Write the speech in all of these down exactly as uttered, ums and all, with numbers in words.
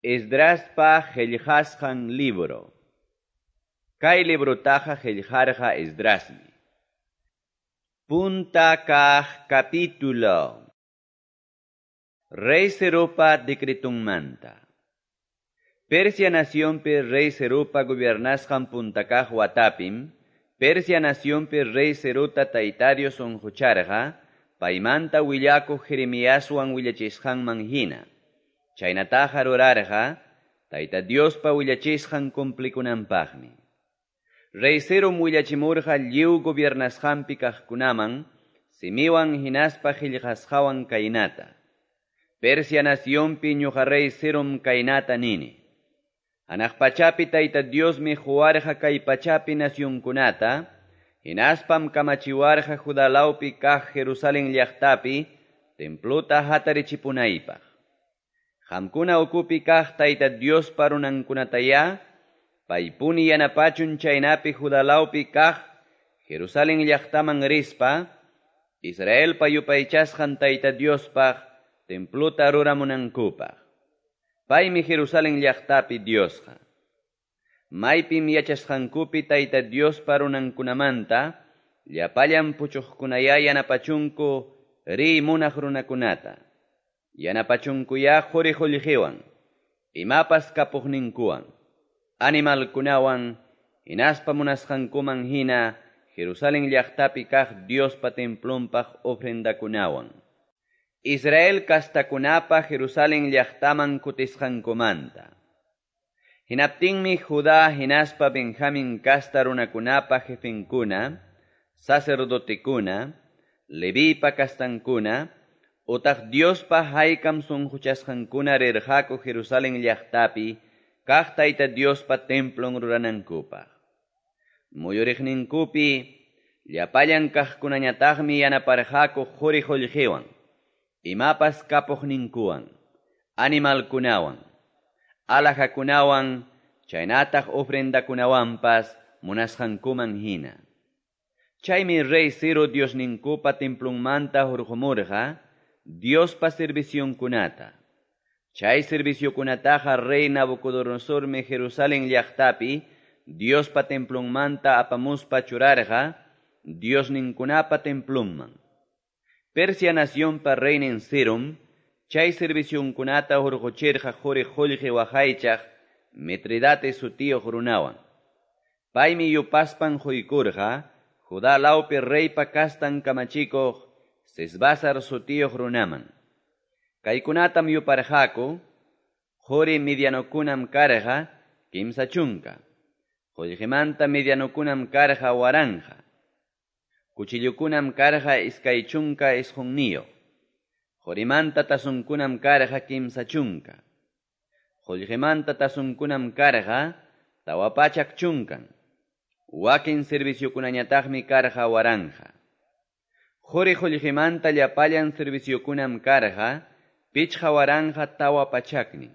Esdraspa qillqasqan libro. Kay librutaqa qillqarqa Esdrasmi. Punta kaq capítulo. Rey Ciropa decretunmanta. Persia nacionpi rey Ciropa gobiernasqan punta kaq watapim, Persia nacionpi rey Cirota Tayta Dios unqucharqa, paymanta willakuq Jeremiaswan willachisqanman hina. Chaynataqa rurarqa, Tayta Diospa willachisqan cumplikunanpaqmi. Rey Cirom willachimurqa lliw gobiernasqanpi kaqkunaman, simiwan hinaspa qillqasqawan kaynata. Persia nacionpi ñuqa rey Cirom kaynata nini. Hanaq pachapi Tayta Diosmi quwarqa kay pachapi nacionkunata, hinaspam kamachiwarqa Judá lawpi kaq Jerusalén llaqtapi templuta hatarichipunaypaq. Qamkuna ukupi kaq Tayta Diospa runankunatayá, paypuni yanapachun chaynapi Judá lawpi kaq Jerusalén llaqtaman rispa, Israelpa yupaychasqan Tayta Diospaq templuta ruramunankupaq. Paymi Jerusalén llaqtapi Diosqa. Maypim yachasqankupi Tayta Diospa runankunamanta, llapallan puchuqkunayá yanapachunku riy munaq runakunata. Yanapachunkuyá quri qullqiwan, imapas kapuqninkuwan, animalkunawan, hinaspa munasqankuman hina Jerusalén llaqtapi kaq Diospa templonpaq ofrendakunawan. Israel kastakunapa Jerusalén llaqtaman kutisqankumanta. Hinaptinmi Judá hinaspa Benjamín kasta runakunapa jefenkuna, sacerdotekuna, Levipa kastankuna, utaq Diospa haykam sunquchasqankuna rirqaku Jerusalén llaqtapi kaq Tayta Diospa templon ruranankupaq. Muyuriqninkupi llapallan kaqkunañataqmi yanaparqaku quri qullqiwan, imapas kapuqninkuwan, animalkunawan, alhajakunawan, chaynataq ofrendakunawanpas munasqankuman hina. Chaymi rey Ciro Diosninkupa templonmanta hurqumurqa Diospa servicionkunata. Chay serviciokunataqa rey Nabucodonosormi Jerusalén llaqtapi Diospa templonmanta apamuspa churarqa Diosninkunapa templonman. Persia nacionpa reynin Cirom, chay servicionkunata hurquchirqa quri qullqi waqaychaq Mitridate sutiyuq runawan. Paymi yupaspan quykurqa Judá lawpi reypa kastan kamachikuq Sesbasar sutiyuq runaman. Kaykunatam yuparqaku, quri medianokunam karqa kimsa chunka, qullqimanta medianokunam karqa waranja, cuchillukunam karqa iskay chunka isqunniyuq, qurimanta tasunkunam karqa kimsa chunka, qullqimanta tasunkunam karqa tawa pachak chunkan, wakin serviciokunañataqmi karqa waranja. Quri qullqimanta llapallan serviciokunam karqa pichqa waranja tawa pachaknin.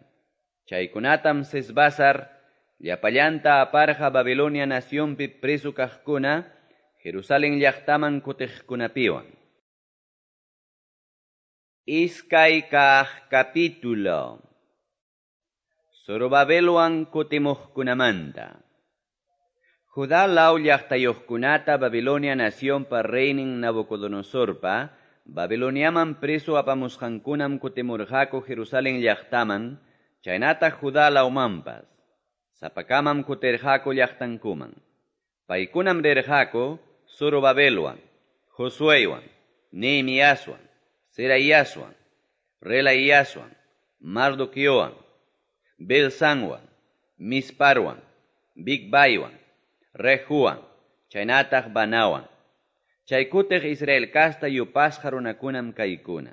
Chaykunatam Sesbasar llapallanta aparqa Babilonia nacionpi preso kaqkuna Jerusalén llaqtaman kutiqkunapiwan. Iskay kaq capítulo. Zorobabelwan kutimuqkunamanta. Judá law llaqtayuqkunata Babilonia nacionpa reynin Nabucodonosorpa, Babiloniaman preso apamusqankunam kutimurqaku Jerusalén llaqtaman, chaynataq Judá lawmanpas. Sapakamam kutirqaku llaqtankuman. Paykunam rirqaku Zorobabelwan, Josueywan, Nehemiaswan, Seraiaswan, Relaiaswan, Mardoqueowan, Belsanwan, Misparwan, Bigbaiwan, Rehuwan, chaynataq Banawan. Chay kutiq Israel kasta yupasqa runakunam kaykuna.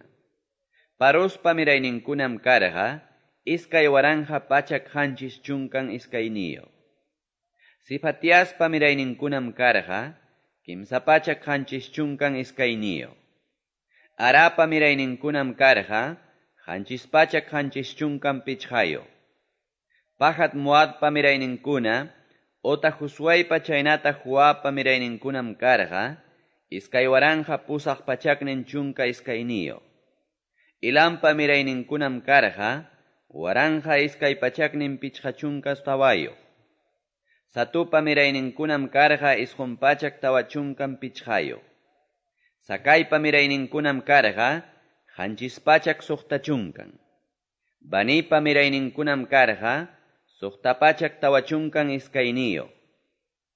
Parospa mirayninkunam karqa iskay waranja pachak qanchis chunkan iskayniyuq. Sifatiaspa mirayninkunam karqa kimsa pachak qanchis chunkan iskayniyuq. Arapa mirayninkunam karqa qanchis pachak qanchis chunkan pichqayuq. Pahat Moabpa mirayninkuna otaq Josueypa chaynataq Joabpa mirayninkunam karqa iskay waranja pusaq pachaknin chunka iskayniyuq. Ilampa mirayninkunam karqa waranqa iskay pachaknin pichqa chunka tawayuq. Zatupa mirayninkunam karqa isqun pachak tawa chunkan pichqayuq. Zacaipa mirayninkunam karqa qanchis pachak suqta chunkan. Banipa mirayninkunam karqa suqta pachak tawa chunkan iskayniyuq.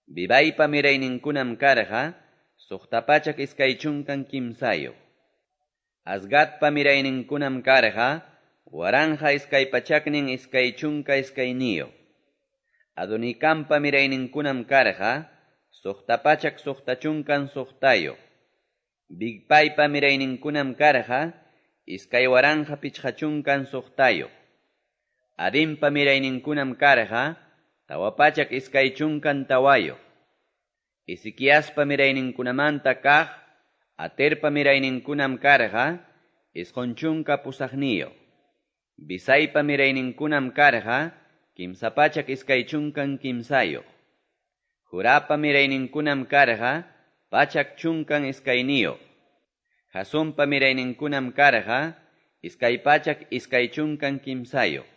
Bebaipa mirayninkunam karqa suqta pachak iskay chunkan kimsayuq. Azgadpa mirayninkunam karqa waranqa iskay pachaknin iskay chunka iskayniyuq. Adonikampa mirayninkunam karqa suqta pachak suqta chunkan suqtayuq. Bigpaypa mirayninkunam karqa iskay waranqa pichqa chunkan suqtayuq. Adinpa mirayninkunam karqa tawa pachak iskay chunkan tawayuq. Ezequiaspa mirayninkunamanta kaq Aterpa mirayninkunam karqa isqun chunka pusaqniyuq. Bisaipa mirayninkunam karqa kimsa pachak iskay chunkan kimsayuq. Jurapa mirayninkunam karqa pachak chunkan iskayniyuq. Jasumpa mirayninkunam karqa iskay pachak iskay chunkan kimsayuq.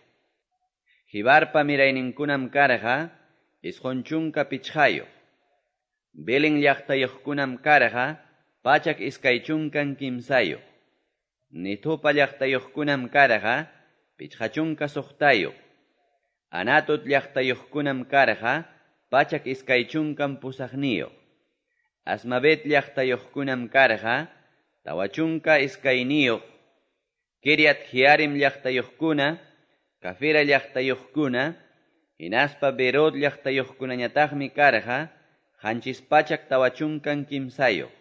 Jibarpa mirayninkunam karqa isqun chunka pichqayuq. Belén llaqtayuqkunam karqa pachak iskay chunkan kimsayuq. Nitupa llaqtayuqkunam karqa pichqa chunka suqtayuq. Anatot llaqtayuqkunam karqa pachak iskay chunkan pusaqniyuq. Asmabet llaqtayuqkunam karqa tawa chunka iskayniyuq. Kiriat Jearim llaqtayuqkuna, Cafira llaqtayuqkuna, hinaspa Berot llaqtayuqkunañataqmi karqa qanchis pachak tawa chunkan kimsayuq.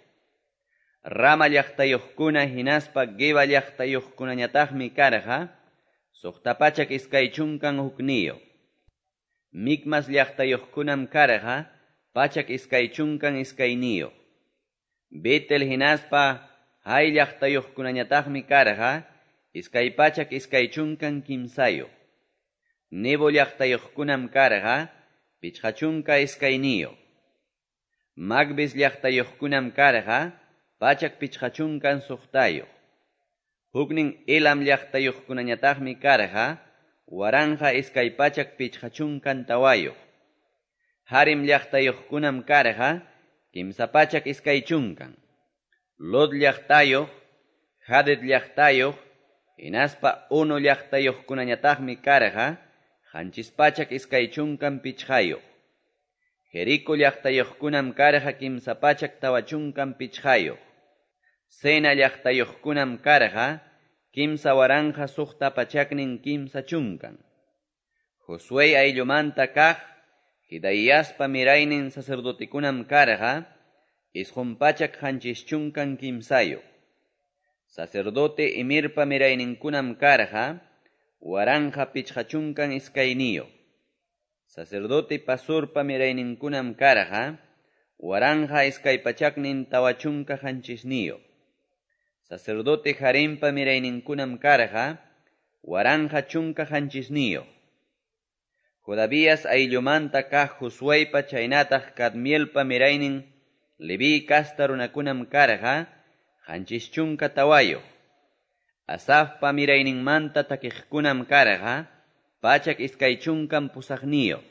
Rama llaqtayuqkuna hinaspa Geba llaqtayuqkunañataqmi karqa suqta pachak iskay chunkan hukniyuq. Micmas llaqtayuqkunam karqa pachak iskay chunkan iskayniyuq. Betel hinaspa Hai llaqtayuqkunañataqmi karqa iskay pachak iskay chunkan kimsayuq. Nebo llaqtayuqkunam karqa pichqa chunka iskayniyuq. Magbis llaqtayuqkunam karqa pachak pichqa chunkan suqtayuq. Huknin Elam llaqtayuqkunañataqmi karqa waranqa iskay pachak pichqa chunkan tawayuq. Harim llaqtayuqkunam karqa kimsa pachak iskay chunkan. Lod llaqtayuq, Hadid llaqtayuq, hinaspa Ono llaqtayuqkunañataqmi karqa qanchis pachak iskay chunkan pichqayuq. Jerico llaqtayuqkunam karqa kimsa pachak tawa chunkan pichqayuq. Sena llaqtayuqkunam karqa kimsa waranqa suqta pachaknin kimsa chunkan. Josué ayllumanta kaq Hidaíaspa miraynin sacerdotekunam karqa isqun pachak qanchis chunkan kimsayuq. Sacerdote Imirpa mirayninkunam karqa waranqa pichqa chunkan iskayniyuq. Sacerdote Pasurpa mirayninkunam karqa waranqa iskay pachaknin tawa chunka qanchisniyuq. Sacerdote Jarimpa mirayninkunam karqa waranqa chunka qanchisniyuq. Jodavías ayllumanta kaq Josueypa chaynataq Cadmielpa miraynin Leví kasta runakunam karqa qanchis chunka tawayuq. Asafpa mirayninmanta takiqkunam karqa pachak iskay chunkan pusaqniyuq.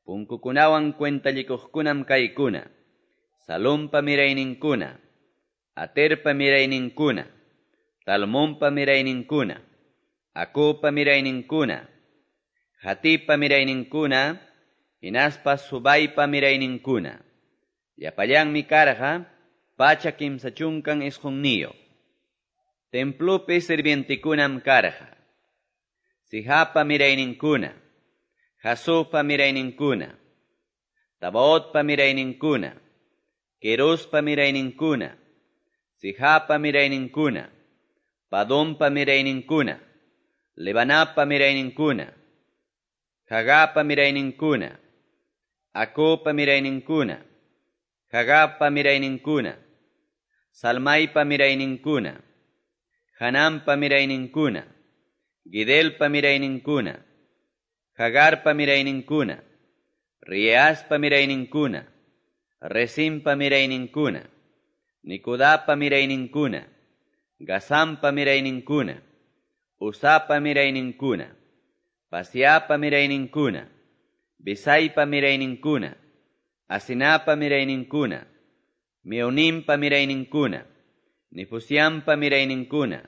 Punkukunawan cuentallikuqkunam kaykuna: Salompa mirayninkuna, Aterpa mirayninkuna, Talmonpa mirayninkuna, Acopa mirayninkuna, Hatipa mirayninkuna, hinaspa Subaypa mirayninkuna. Llapallanmi karqa pachak kimsa chunkan isqunniyuq. Templopi sirvientekunam karqa Sijapa mirayninkuna, Jasupa mirayninkuna, Tabaotpa mirayninkuna, Querospa mirayninkuna, Sijapa mirayninkuna, Padompa mirayninkuna, Lebanapa mirayninkuna, Jagapa mirayninkuna, Acopa mirayninkuna, Jagapa mirayninkuna, Salmaipa mirayninkuna, Hanampa mirayninkuna, Gidelpa mirayninkuna, Hagarpa mirayninkuna, Riaspa mirayninkuna, Resimpa mirayninkuna, Nikudapa mirayninkuna, Gazampa mirayninkuna, Uzapa mirayninkuna, Paseahpa mirayninkuna, Besaipa mirayninkuna, Asinapa mirayninkuna, Meunimpa mirayninkuna, Nefusiampa mirayninkuna,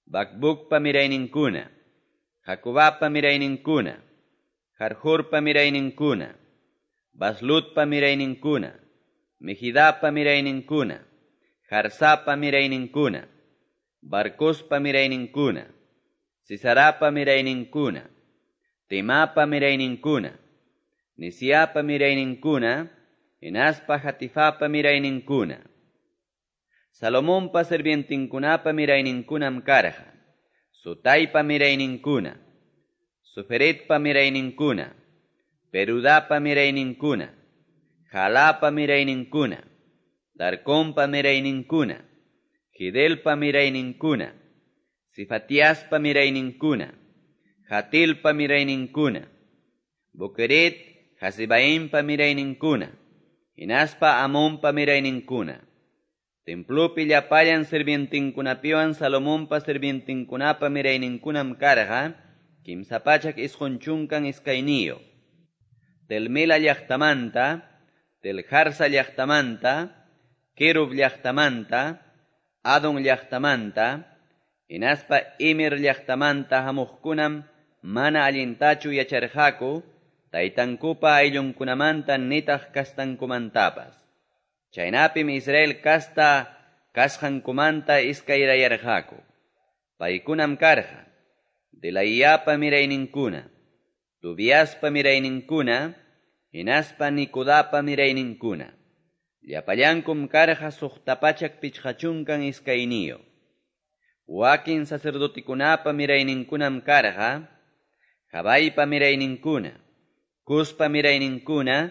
Bacbucpa mirayninkuna, Jacobapa mirayninkuna, Jarjurpa mirayninkuna, Baslutpa mirayninkuna, Mejidapa mirayninkuna, Jarsapa mirayninkuna, Barcospa mirayninkuna, Sisarapa mirayninkuna, Temapa mirayninkuna, Nisiapa mirayninkuna, hinaspa Hatifapa mirayninkuna. Salomonpa sirvientinkunapa mirayninkunam karqa, Sotaipa mirayninkuna, Soferetpa mirayninkuna, Perudapa mirayninkuna, Jalapa mirayninkuna, Darconpa mirayninkuna, Gidelpa mirayninkuna, Sifatiaspa mirayninkuna, Hatilpa mirayninkuna, Boqueret Hasebaimpa mirayninkuna, hinaspa Amonpa mirayninkuna. Templopi llapallan sirvientinkunapiwan Salomonpa sirvientinkunapa mirayninkunam karqa, kimsa pachak isqun chunkan iskayniyuq. Telmela llaqtamanta, Teljarsa llaqtamanta, Kerub llaqtamanta, Adon llaqtamanta, hinaspa Imer llaqtamanta hamuqkunam mana allintachu yacharqaku, taytankupa ayllunkunamanta nitaq kastankumantapas. Chaynapim Israel kasta kasqankumanta iskayrayarqaku. Paykunam karqa, Delaiyapa mirayninkuna, Tobiaspa mirayninkuna, hinaspa Nikudapa mirayninkuna. Llapallankum karqa suqta pachak pichqa chunkan iskayniyuq. Wakin sacerdotikunapa mirayninkunam karqa, Jabaypa mirayninkuna, Cuspa mirayninkuna,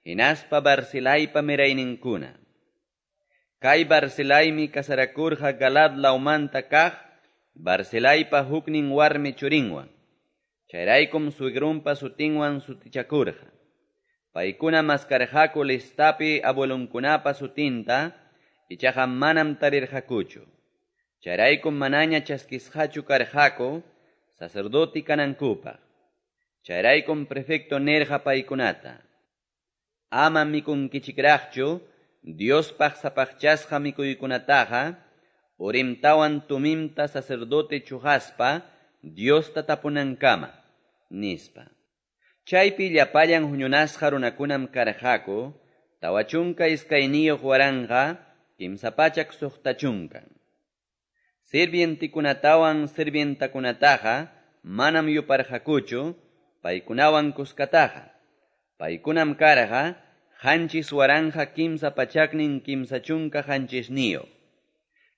hinaspa Barzilaypa mirayninkuna. Kay Barzilaymi kasarakurqa Galaad lawmanta kaq, Barzilaypa huknin warmi churinwan. Chayraykum suegrunpa sutinwan sutichakurqa. Paykuna maskarqaku listapi abuelunkunapa sutinta, ichaqa manam tarirqakuchu. Chayraykum manaña chaskisqachu karqaku, sacerdoti kanankupaq. Chayraykum prefecto nirqa paykunata: Ama mikunkichikraqchu Diospaq sapaqchasqa mikuykunataqa, Urimtawan Tumimta sacerdote chuqaspa Diosta tapunankama, nispa. Chaypi llapallan huñunasqa runakunam karqaku, tawa chunka iskayniyuq waranqa, kimsa pachak suqta chunkan. Sirvientikunatawan sirvientakunataqa manam yuparqakuchu, paykunawan kuskataqa. Paykunam karqa, qanchis waranqa kimsa pachaknin kimsa chunka qanchisniyuq.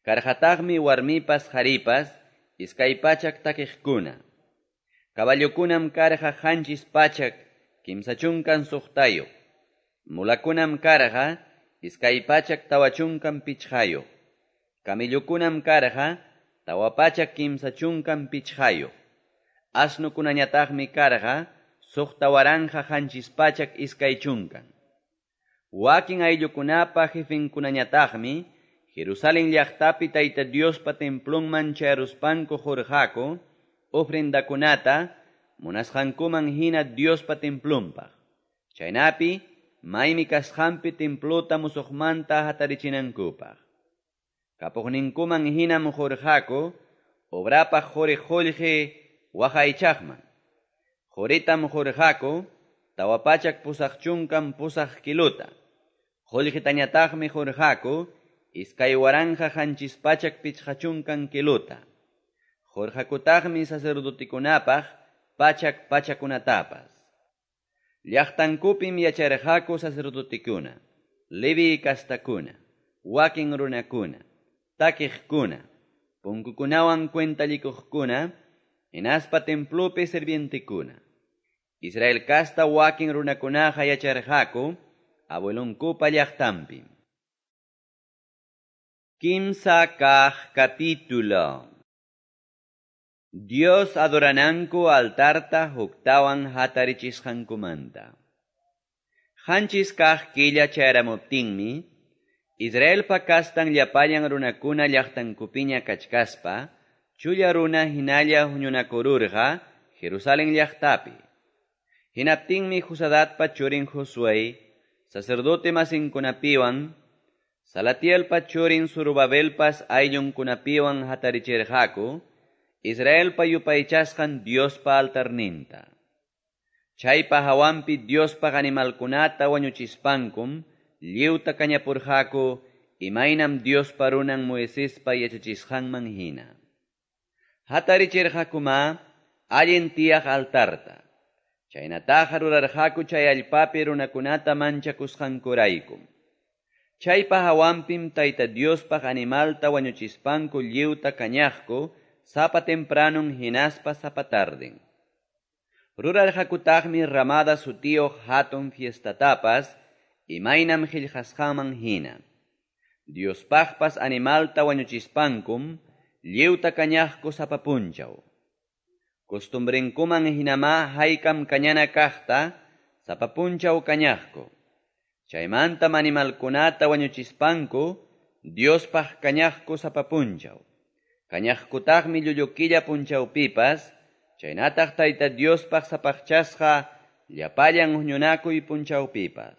Karqataqmi warmipas qharipas, iskay pachak takiqkuna. Caballokunam karqa qanchis pachak kimsa chunkan suqtayuq. Mulakunam karqa iskay pachak tawa chunkan pichqayuq. Camellokunam karqa tawa pachak kimsa chunkan pichqayuq. Asnukunañataqmi karqa suqta waranqa qanchis pachak iskay chunkan. Wakin ayllukunapa jefenkunañataqmi Jerusalén llaqtapi Tayta Diospa templonman chayaruspanku qurqaku ofrendakunata munasqankuman hina Diospa templonpaq. Chaynapi maymi kasqanpi templota musuqmanta hatarichinankupaq. Kapuqninkuman hinam qurqaku obrapaq quri qullqi waqaychaqman. Quritam qurqaku tawa pachak pusaq chunkan pusaq kilota. Qullqitañataqmi qurqaku iskay waranqa qanchis pachak pichqa chunkan kilota. Qurqakutaqmi sacerdotikunapaq pachak pachakunatapas. Llaqtankupim yacharqaku sacerdotikuna, Levi kastakuna, wakin runakuna, takiqkuna, punkukunawan cuentallikuqkuna, hinaspa templopi sirvientekuna. Israel kasta wakin runakunaqa yacharqaku abuelonkupa llaqtanpi. Kimsa kaq capítulo. Dios adorananku altarta huktawan hatarichisqankumanta. Qanchis kaq killa chayaramuptinmi, Israelpa kastan llapallan runakuna llaqtankupiña kachkaspa, chulla runa hinalla huñunakururqa Jerusalen llaqtapi. Hinaptinmi Josadatpa churin Josué, sacerdote masinkunapiwan, Salatielpa churin Zorobabelpas ayllunkunapiwan hatarichirqaku, Israelpa yupaychasqan Diospa altarninta. Chaypa hawanpi Diospaq animalkunata wañuchispankum lliwta kañapurqaku imaynam Diospa runan Moisespa yachachisqanman hina. Hatarichirqakuma allin tiyaq altarta. Chaynataqa rurarqaku chay allpapi runakunata manchakusqankuraykum. Chaypa hawanpim Tayta Diospaq animalta wañuchispanku lliwta kañaqku sapa tempranun hinaspa sapa tarden. Rurarqakutaqmi ramada sutiyuq hatun fiestatapas imaynam qillqasqanman hina. Diospaqpas animalta wañuchispankum lliwta kañaqku sapa punchaw. Costumbrenkuman hinamá haykam kañana kaqta sapa punchaw kañaqku. Chaymantam animalkunata wañuchispanku Diospaq kañaqku sapa punchaw. Kañaqkutaqmi llullu killa punchawpipas, chaynataq Tayta Diospaq sapaqchasqa llapallan huñunakuy punchawpipas.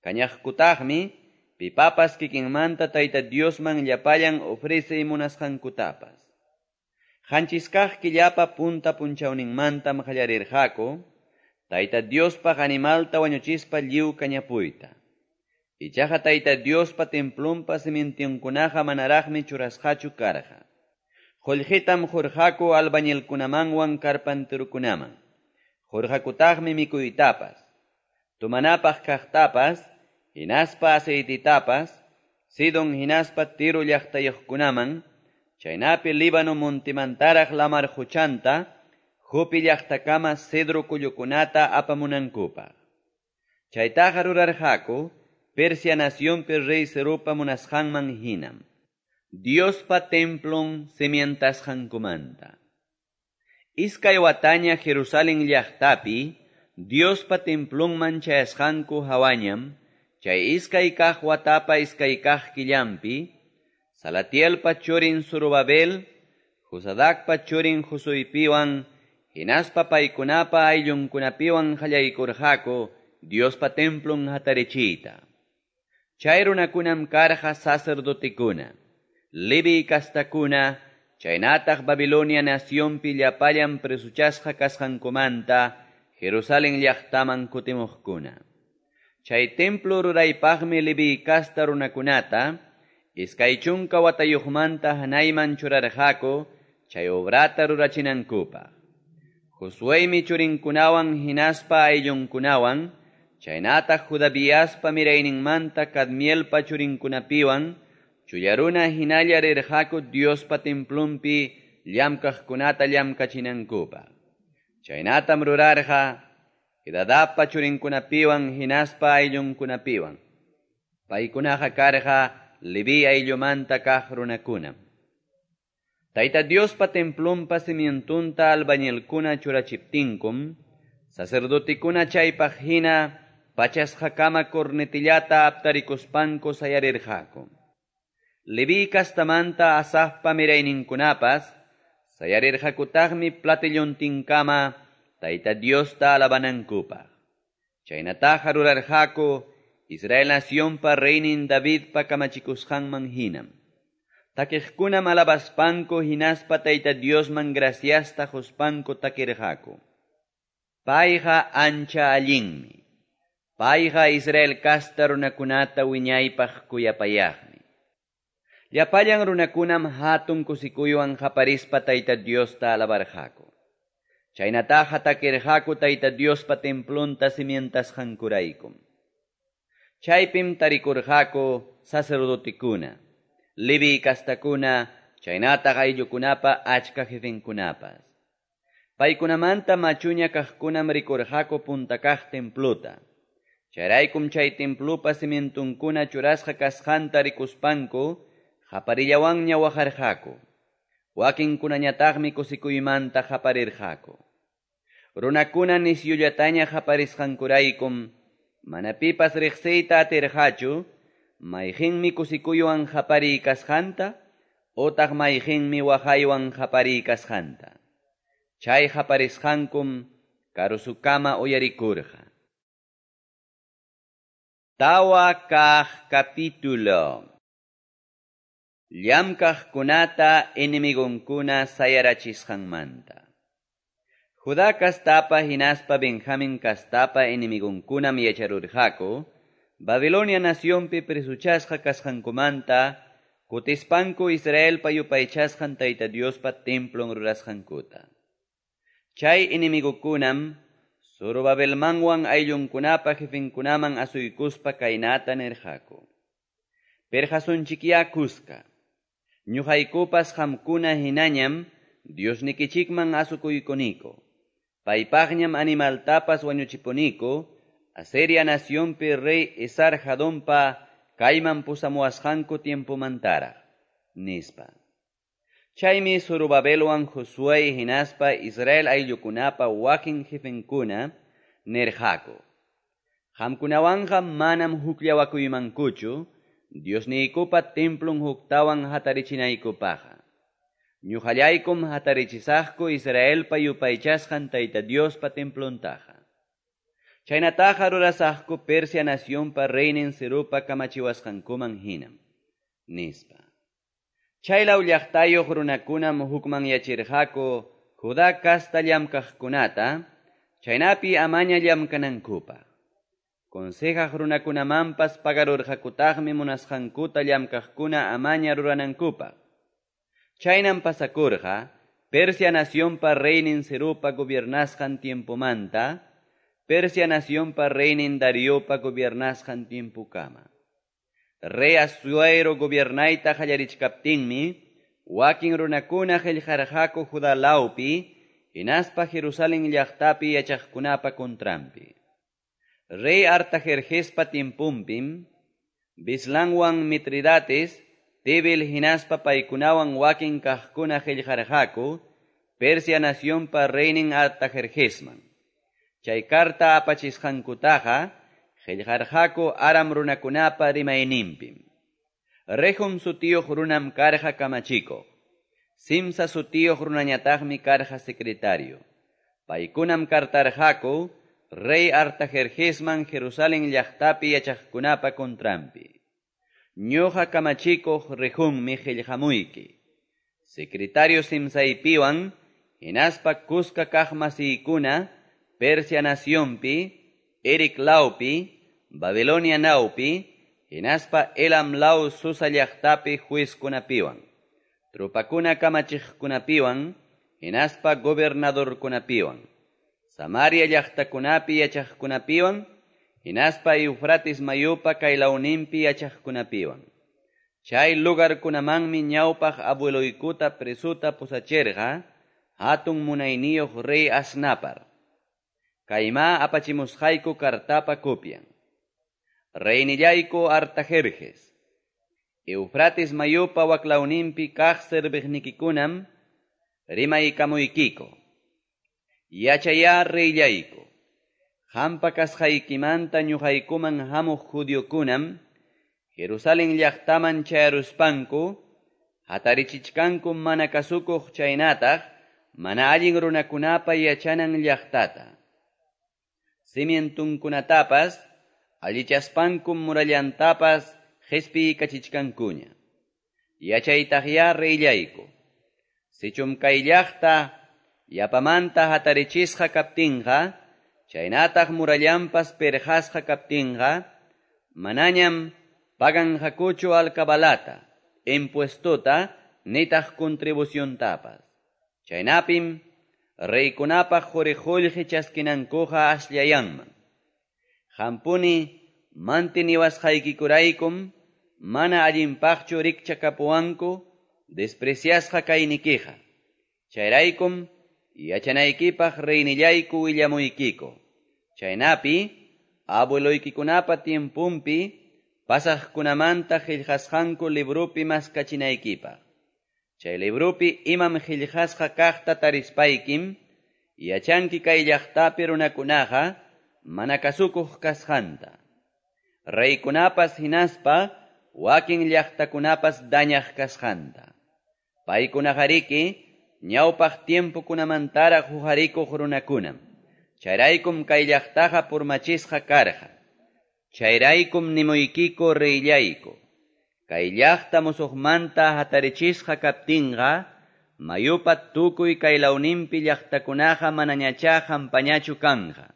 Kañaqkutaqmi pipapas kikinmanta Tayta Diosman llapallan ofrecey munasqankutapas. Qanchis kaq killapa punta punchawninmantam qallarirqaku Tayta Diospaq animalta wañuchispa lliw kañapuyta. Ichaqa Tayta Diospa templonpa cimientonkunaqa manaraqmi churasqachu karqa. Qullqitam qurqaku albañilkunamanwan carpinterokunaman. Qurqakutaqmi mikuytapas, tumanapaq kaqtapas, hinaspa aceititapas, Sidon hinaspa Tiro llaqtayuqkunaman, chaynapi Líbano montimantaraq lamar quchanta, Jope llaqtakama cedro kullukunata apamunankupaq. Chaytaqa rurarqaku Persia nacionpi rey Ciropa munasqanman hinam. Diospa templon cimientasqankumanta. Iskay wataña Jerusalen llaqtapi Diospa templonman chayasqanku hawañam, chay iskay kaq watapa iskay kaq killampi, Salatielpa churin Zorobabel, Josadacpa churin Josuepiwan, hinaspa paykunapa ayllunkunapiwan qallaykurqaku Diospa templon hatarichiyta. Chay runakunam karqa sacerdotekuna, Leví kastakuna, chaynataq Babilonia nacionpi llapallan presuchasqa kasqankumanta Jerusalen llaqtaman kutimuqkuna. Chay templo ruraypaqmi Leví kasta runakunata iskay chunka watayuqmanta hanayman churarqaku chay obrata rurachinankupaq. Josuemi churinkunawan hinaspa ayllunkunawan, chaynataq Judabiaspa mirayninmanta Cadmielpa churinkunapiwan, chullaruna hinalla rirqaku Diospa templonpi llamkaqkunata llamkachinankupaq. Chaynatam rurarqa Jedadapa churinkunapiwan hinaspa ayllunkunapiwan. Paykunaqa karqa Leví ayllumanta kaq runakunam. Tayta Diospa templonpa cimientonta albañilkuna churachiptinkum, sacerdotekuna chaypaq hina pachasqakama cornetillata aptarikuspanku sayarirqaku. Leví kastamanta Asafpa mirayninkunapas sayarirqakutaqmi platillontinkama Tayta Diosta alabanankupaq. Chaynataqa rurarqaku Israel nacionpa reynin Davidpa kamachikusqanman hinam. Takiqkunam alabaspanku hinaspa Tayta Diosman graciasta quspanku takirqaku. Payqa ancha allinmi. Payqa Israel kasta runakunata wiñaypaq kuyapayaqmi. Llapallan runakunam hatun kusikuywan qaparispa Tayta Diosta alabarqaku. Chaynataqa takirqaku Tayta Diospa templonta cimientasqankuraykum. Chaypim tarikurqaku sacerdotekuna, Leví kastakuna, chaynataq ayllukunapa achka jefenkunapas. Paykunamanta machuña kaqkunam rikurqaku punta kaq templota. Chayraykum chay templopa cimientonkuna churasqa kasqanta rikuspanku qaparillawanña waqarqaku. Wakinkunañataqmi kusikuymanta qaparirqaku. Runakuna nisyullataña qaparisqankuraykum mana pipas riqsiyta atirqachu mayqinmi kusikuywan qapariy kasqanta otaq mayqinmi waqaywan qapariykasqanta. Chay qaparisqankum karusukama uyarikurqa. Tawa kaq capítulo. Llamkaqkunata enemigunkuna sayarachisqanmanta. Judá kastapa hinaspa Benjamín kastapa enemigunkunam yacharurqaku, Babilonia nacionpi presuchasqa kasqankumanta, kutispanku Israelpa yupaychasqan Tayta Diospa templon rurasqankuta. Chay enemigukunam Zorobabelmanwan ayllunkunapa jefenkunaman asuykuspa kaynata nirqaku: Perqasunchikyá kuska. Ñuqaykupas qamkuna hinañam Diosnikichikman asukuykuniku. Paypaqñam animaltapas wañuchipuniku, Asiria nacionpi rey Esar-Hadonpa kayman pusamuwasqanku tiempomantaraq, nispa. Chaymi Zorobabelwan Josué hinaspa Israel ayllukunapa wakin jefenkuna nirqaku: Qamkunawanqa manam hukllawakuymankuchu Diosniykupa templon huktawan hatarichinaykupaqqa. Ñuqallaykum hatarichisaqku Israelpa yupaychasqan Tayta Diospa templontaqa. Chaynataqa rurasaqku Persia nacionpa reynin Ciropa kamachiwasqankuman hinam, nispa. Chaylaw llaqtayuq runakunam hukmanyachirqaku Judá kasta llamkaqkunata, chaynapi amaña llamkanankupaq. Consejaq runakunamanpas pagarurqakutaqmi munasqankuta llamkaqkuna amaña ruranankupaq. Chaynam pasakurqa Persia nacionpa reynin Ciropa gobiernasqan tiempomanta, Persia nacionpa reynin Dariopa gobiernasqan tiempokama. Rey Asuero gobiernayta qallarichkaptinmi, wakin runakuna qillqarqaku Judá lawpi, hinaspa Jerusalén llaqtapi yachaqkunapa contranpi. Rey Artajerjespa tiemponpim, Bislanwan Mitridates, Tibel hinaspa paykunawan wakin kaqkuna qillqarqaku Persia nacionpa reynin Artajerjesman. Chay karta apachisqankutaqa qillqarqaku Aram runakunapa rimayninpim. Rehum sutiyuq runam karqa kamachikuq. Simsa sutiyuq runañataqmi karqa secretario. Paykunam kartarqaku rey Artajerjesman Jerusalén llaqtapi yachaqkunapa contranpi. Ñuqa kamachikuq Rehummi qillqamuyki. Secretario Simsaypiwan hinaspa kuska kaq masiykuna Persia nacionpi, Eric lawpi, Babilonia nawpi, hinaspa Elam law Susa llaqtapi juezkunapiwan, tropakuna kamachiqkunapiwan, hinaspa gobernadorkunapiwan, Samaria llaqtakunapi yachaqkunapiwan, hinaspa Eufrates mayupa kaylawninpi yachaqkunapiwan. Chay lugarkunamanmi ñawpaq abueloykuta presuta pusachirqa, hatun munayniyuq rey Asnapar. Kayma apachimusqayku kartapa copian. Reynillayku Artajerjes, Eufrates mayupa waklawninpi kaq serviqnikikunam rimaykamuykiko. Yachayá reyllayku, qampa kasqaykimanta ñuqaykuman hamuq judiokunam Jerusalén llaqtaman chayaruspanku hatarichichkanku mana kasukuq chaynataq mana allin runakunapa yachanan llaqtata. Cimientunkunatapas allichaspankum murallantapas qhispiykachichkankuña. Yachaytaqyá reyllayku, sichum kay llaqta yapamanta hatarichisqa kaptinqa, chaynataq murallanpas perqasqa kaptinqa, manañam paganqakuchu alcabalata, impuestota, nitaq contribuciontapas. Chaynapim reykunapaq quri-qullqi chaskinankuqa asllayanman. Qampuni mantiniwasqaykikuraykum mana allinpaqchu rikchakapuwanku despreciasqa kaynikiqa. Chayraykum yachanaykipaq reynillayku willamuykiku. Chaynapi abueloykikunapa tiempunpi pasaqkunamanta qillqasqanku librupi maskachinaykipaq. Chay librupi imam qillqasqa kaqta tarispaykim, yachanki kay llaqtapi runakunaqa mana kasukuq kasqanta. Reykunapas hinaspa wakin llaqtakunapas dañaq kasqanta. Paykunaqariki ñawpaq tiempokunamantaraq huqarikuq runakunam. Chayraykum kay llaqtaqa purmachisqa karqa. Chayraykum nimuykiku reyllayku. Kay llaqta musuqmanta hatarichisqa kaptinqa, mayupa tukuy kay lawninpi llaqtakunaqa manañachá hampañachu kanqa,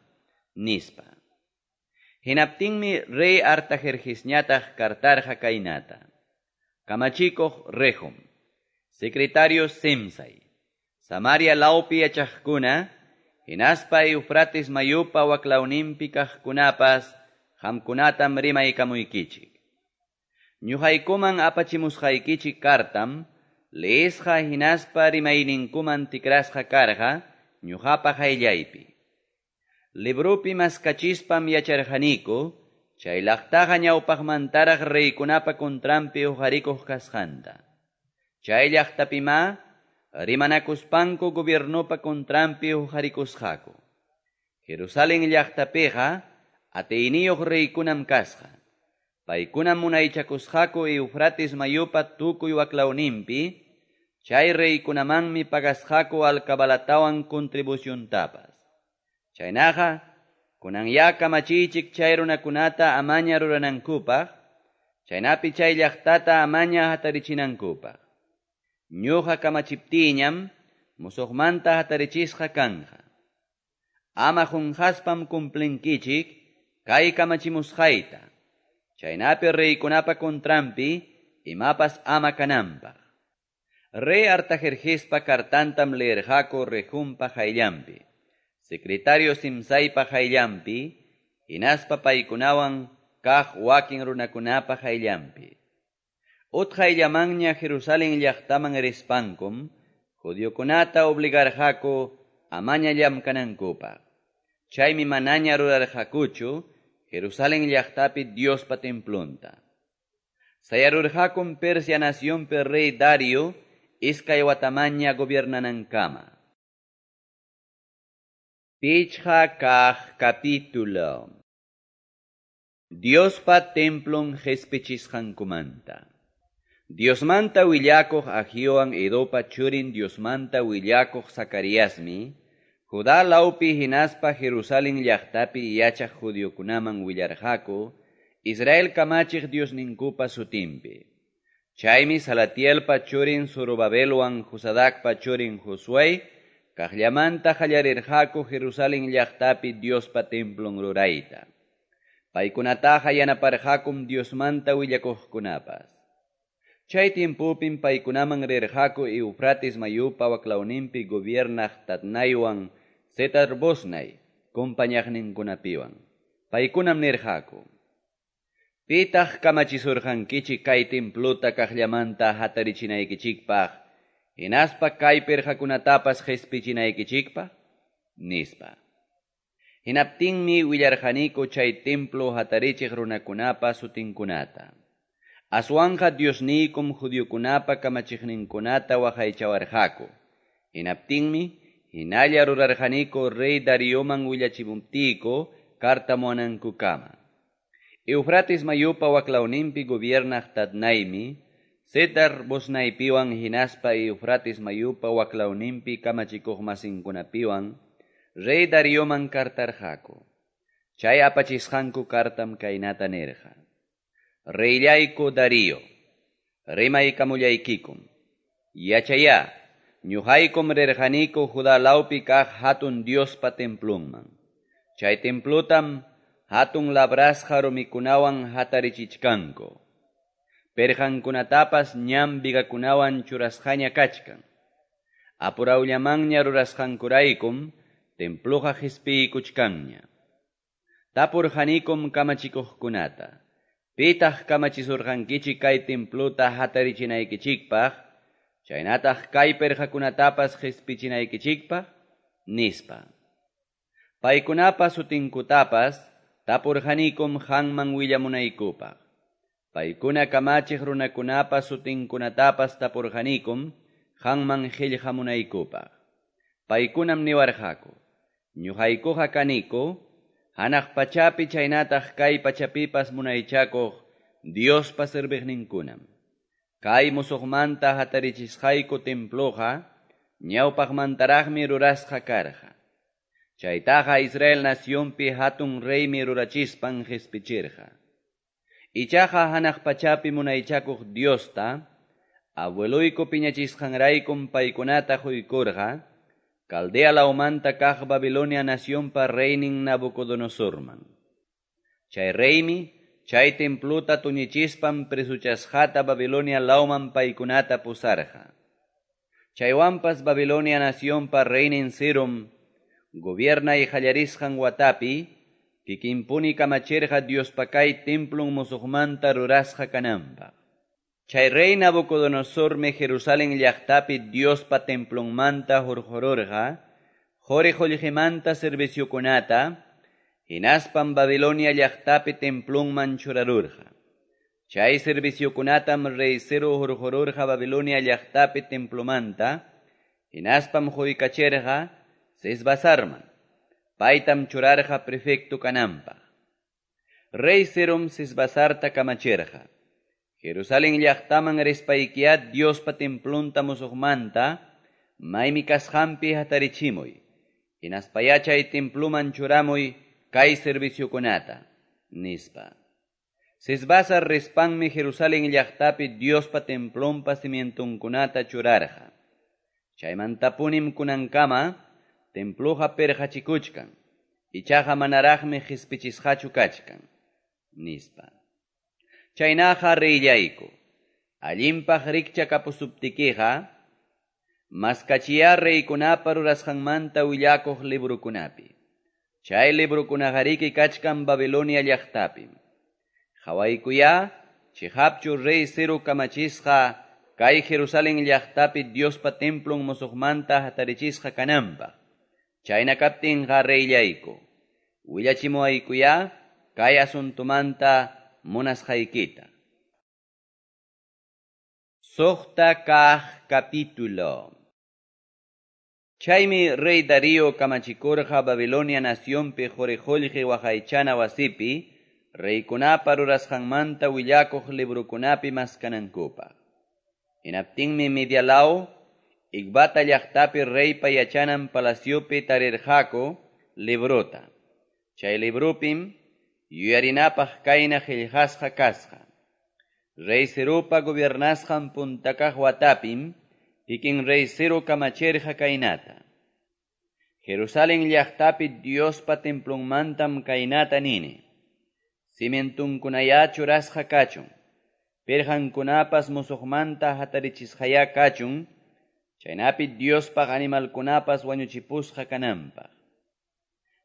nispa. Hinaptinmi rey Artajerjesñataq kartarqa kaynata. Kamachikuq Rehum, secretario Simsai, Samaria lawpi yachaqkuna, hinaspa Eufrates mayupa waklawninpi kaqkunapas, qamkunatam rimaykamuykichik. Ñuqaykuman apachimusqaykichik kartam, leesqa hinaspa rimayninkuman tikrasqa karqa, ñuqapa qayllaypi. Librupi maskachispam yacharqaniku, chay llaqtaqa ñawpaqmantaraq reykunapa contranpi huqarikuq kasqanta. Chay llaqtapimá rimanakuspanku gobiernopa contranpi huqarikusqaku. Jerusalén llaqtapiqa atiyniyuq reykunam kasqa. Paykunam munaychakusqaku Eufrates mayupa tukuy waklawninpi, chay reykunamanmi pagasqaku alcabalatawan contribuciontapas. Chaynaqa, kunanya kamachiychik chay runakunata amaña ruranankupaq, chaynapi chay llaqtata amaña hatarichinankupaq. Ñuqa kamachiptiñam, musuqmanta hatarichisqa kanja. Ama qunqaspam cumplinkichik, kay kamachimusqayta, chaynapi reykunapa contranpi, imapas ama kananpaq. Rey Artajerjespa kartantam leerqaku Rehumpa qayllanpi, secretario Simsaipa qayllanpi, hinaspa paykunawan kaq wakin runakunapa qayllanpi. Utqayllamanña Jerusalén llaqtaman rispankum, judiokunata obligarqaku amaña llamkanankupaq. Chaymi manaña rurarqakuchu Jerusalén llaqtapi Diospa templonta. Sayarurqakum Persia nacionpi rey Dario iskay watamaña gobiernanankama. Pichqa kaq capítulo. Diospa templon qespichisqankumanta. Diosmanta willakuq Agiowan Edopa churin Diosmanta willakuq Zacariasmi, Judá lawpi hinaspa Jerusalén llaqtapi yachaq judiokunaman willarqaku, Israel kamachiq Diosninkupa sutinpi. Chaymi Salatielpa churin Zorobabelwan Josadacpa churin Josué, kaqllamanta qallarirqaku Jerusalén llaqtapi Diospa templon rurayta. Paykunataqa yanaparqakum Diosmanta willakuqkunapas. Chay tiempopim paykunaman rirqaku Eufrates mayupa waklawninpi gobiernaq Tatnaywan Setar-Bosnay compañaqninkunapiwan. Paykunam nirqaku: Pitaq kamachisurqankichik kay templuta kaqllamanta hatarichinaykichikpaq, hinaspa kay pirqakunatapas qespichinaykichikpaq, nispa. Hinaptinmi willarqaniku chay templo hatarichiq runakunapa sutinkunata. Aswanqa Diosniykum judiokunapa kamachiqninkunata waqaychawarqaku. Hinaptinmi hinalla rurarqaniku rey Darioman willachimuptiyku kartamuwanankukama. Eufrates mayupa waklawninpi gobiernaq Tatnaymi, Setar-Bosnaypiwan hinaspa Eufrates mayupa waklawninpi kamachikuqmasinkunapiwan rey Darioman kartarqaku. Chay apachisqanku kartam kaynata nirqa: Reyllayku Darío, rimaykamullaykikum. Yachayá, ñuqaykum rirqaniku Judá lawpi kaq hatun Diospa templunman. Chay templutam hatun labrasqa rumikunawan hatarichichkanku. Perqankunatapas ñam vigakunawan churasqaña kachkan. Apurawllamanña rurasqankuraykum templuqa qespiykuchkanña. Tapurqanikum kamachikuqkunata: Pitaq kamachisurqankichik kay templuta hatarichinaykichikpaq, chaynataq kay perqakunatapas qespichinaykichikpaq, nispa. Paykunapa sutinkutapas tapurqanikum qanman willamunaykupaq. Paykuna kamachiq runakunapa sutinkunatapas tapurqanikum qanman qillqamunaykupaq. Paykunam niwarqaku: Ñuqaykuqa kaniku hanaq pachapi chaynataq kay pachapipas munaychakuq Diospa serviqninkunam. Kay musuqmanta hatarichisqayku temploqa ñawpaqmantaraqmi rurasqa karqa. Chaytaqa Israel nacionpi hatun reymi rurachispan qispichirqa. Ichaqa hanaq pachapi munaychakuq Diosta, abueloyku piñachisqanraykum paykunata quykurqa, Caldea lawmanta kaq Babilonia nacionpa reynin Nabucodonosorman. Chay reymi, chay templuta tuñichispan presuchasqata Babilonia lawman paykunata pusarqa. Chaywanpas Babilonia nacionpa reynin Cirom, gobiernay qallarisqan watapi, kikinpuni kamachirqa Diospa kay templun musuqmanta rurasqa kananpaq. Chay rey Nabucodonosormi Jerusalén llaqtapi Diospa templunmanta hurqururqa, quri qullqimanta serviciokunata, hinaspan Babilonia llaqtapi templunman churarurqa. Chay serviciokunatam rey Ciro hurqururqa Babilonia llaqtapi templumanta, hinaspam quykachirqa Sesbasarman, paytam churarqa prefecto kananpaq. Rey Cirom Sesbasarta kamachirqa. Jerusalén llaqtaman rispaykiya Diospa templunta musuqmanta, maymi kasqanpi hatarichimuy, hinaspaya chay templuman churamuy kay serviciokunata, nispa. Sesbasar rispanmi Jerusalén llaqtapi Diospa templunpa cimientunkunata churarqa. Chaymantapunim kunankama templuqa pirqachikuchkan, ichaqa manaraqmi qispichisqachu kachkan, nispa. Chaynaqa reyllayku, allinpaq rikchakapusuptikiqa, maskachiya reykunapa rurasqanmanta willakuq librukunapi. Chay librukunaqariki kachkan Babilonia llaqtapim. Qhawaykuya, chiqapchu rey Ciro kamachisqa kay Jerusalén llaqtapi Diospa templun musuqmanta hatarichisqa kananpaq. Chayna kaptinqa reyllayku, willachimuwaykuya kay asuntumanta munasqaykita. Suqta kaq capítulo. Chaymi rey Darío kamachikurqa Babilonia nacionpi quri qullqi waqaychana wasipi, reykunapa rurasqanmanta willakuq librukunapi maskanankupaq. Hinaptinmi Media law, Ecbata llaqtapi reypa yachanan palaciopi tarirqaku librota. Chay librupim yuyarinapaq kayna qillqasqa kasqa. Rey Ciropa gobiernasqan punta kaq watapim, kikin rey Ciro kamachirqa kaynata. Jerusalén llaqtapi Diospa templunmantam kaynata nini. Cimientunkunaya churasqa kachun, pirqankunapas musuqmanta hatarichisqaya kachun, chaynapi Diospaq animalkunapas wañuchipusqa kananpaq.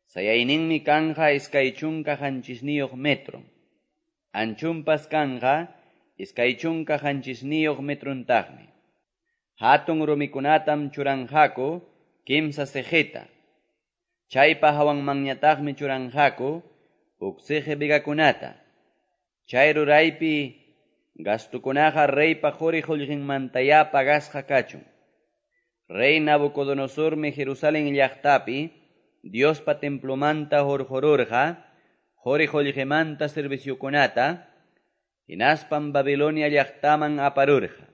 Sayayninmi kanja iskay chunka qanchisniyuq metro. Anchunpas kanja iskay chunka qanchisniyuq metruntaqmi. Hatun rumikunatam churanqaku kimsa siqita. Chaypa hawanmanñataqmi churanqaku huk siqi vigakunata. Chay ruraypi gastukunaqa reypa quri qullqinmantaya pagasqa kachun. Rey Nabucodonosormi Jerusalén llaqtapi Diospa templumanta hurqururqa quri qullqimanta serviciokunata, hinaspan Babilonia llaqtaman aparurqa.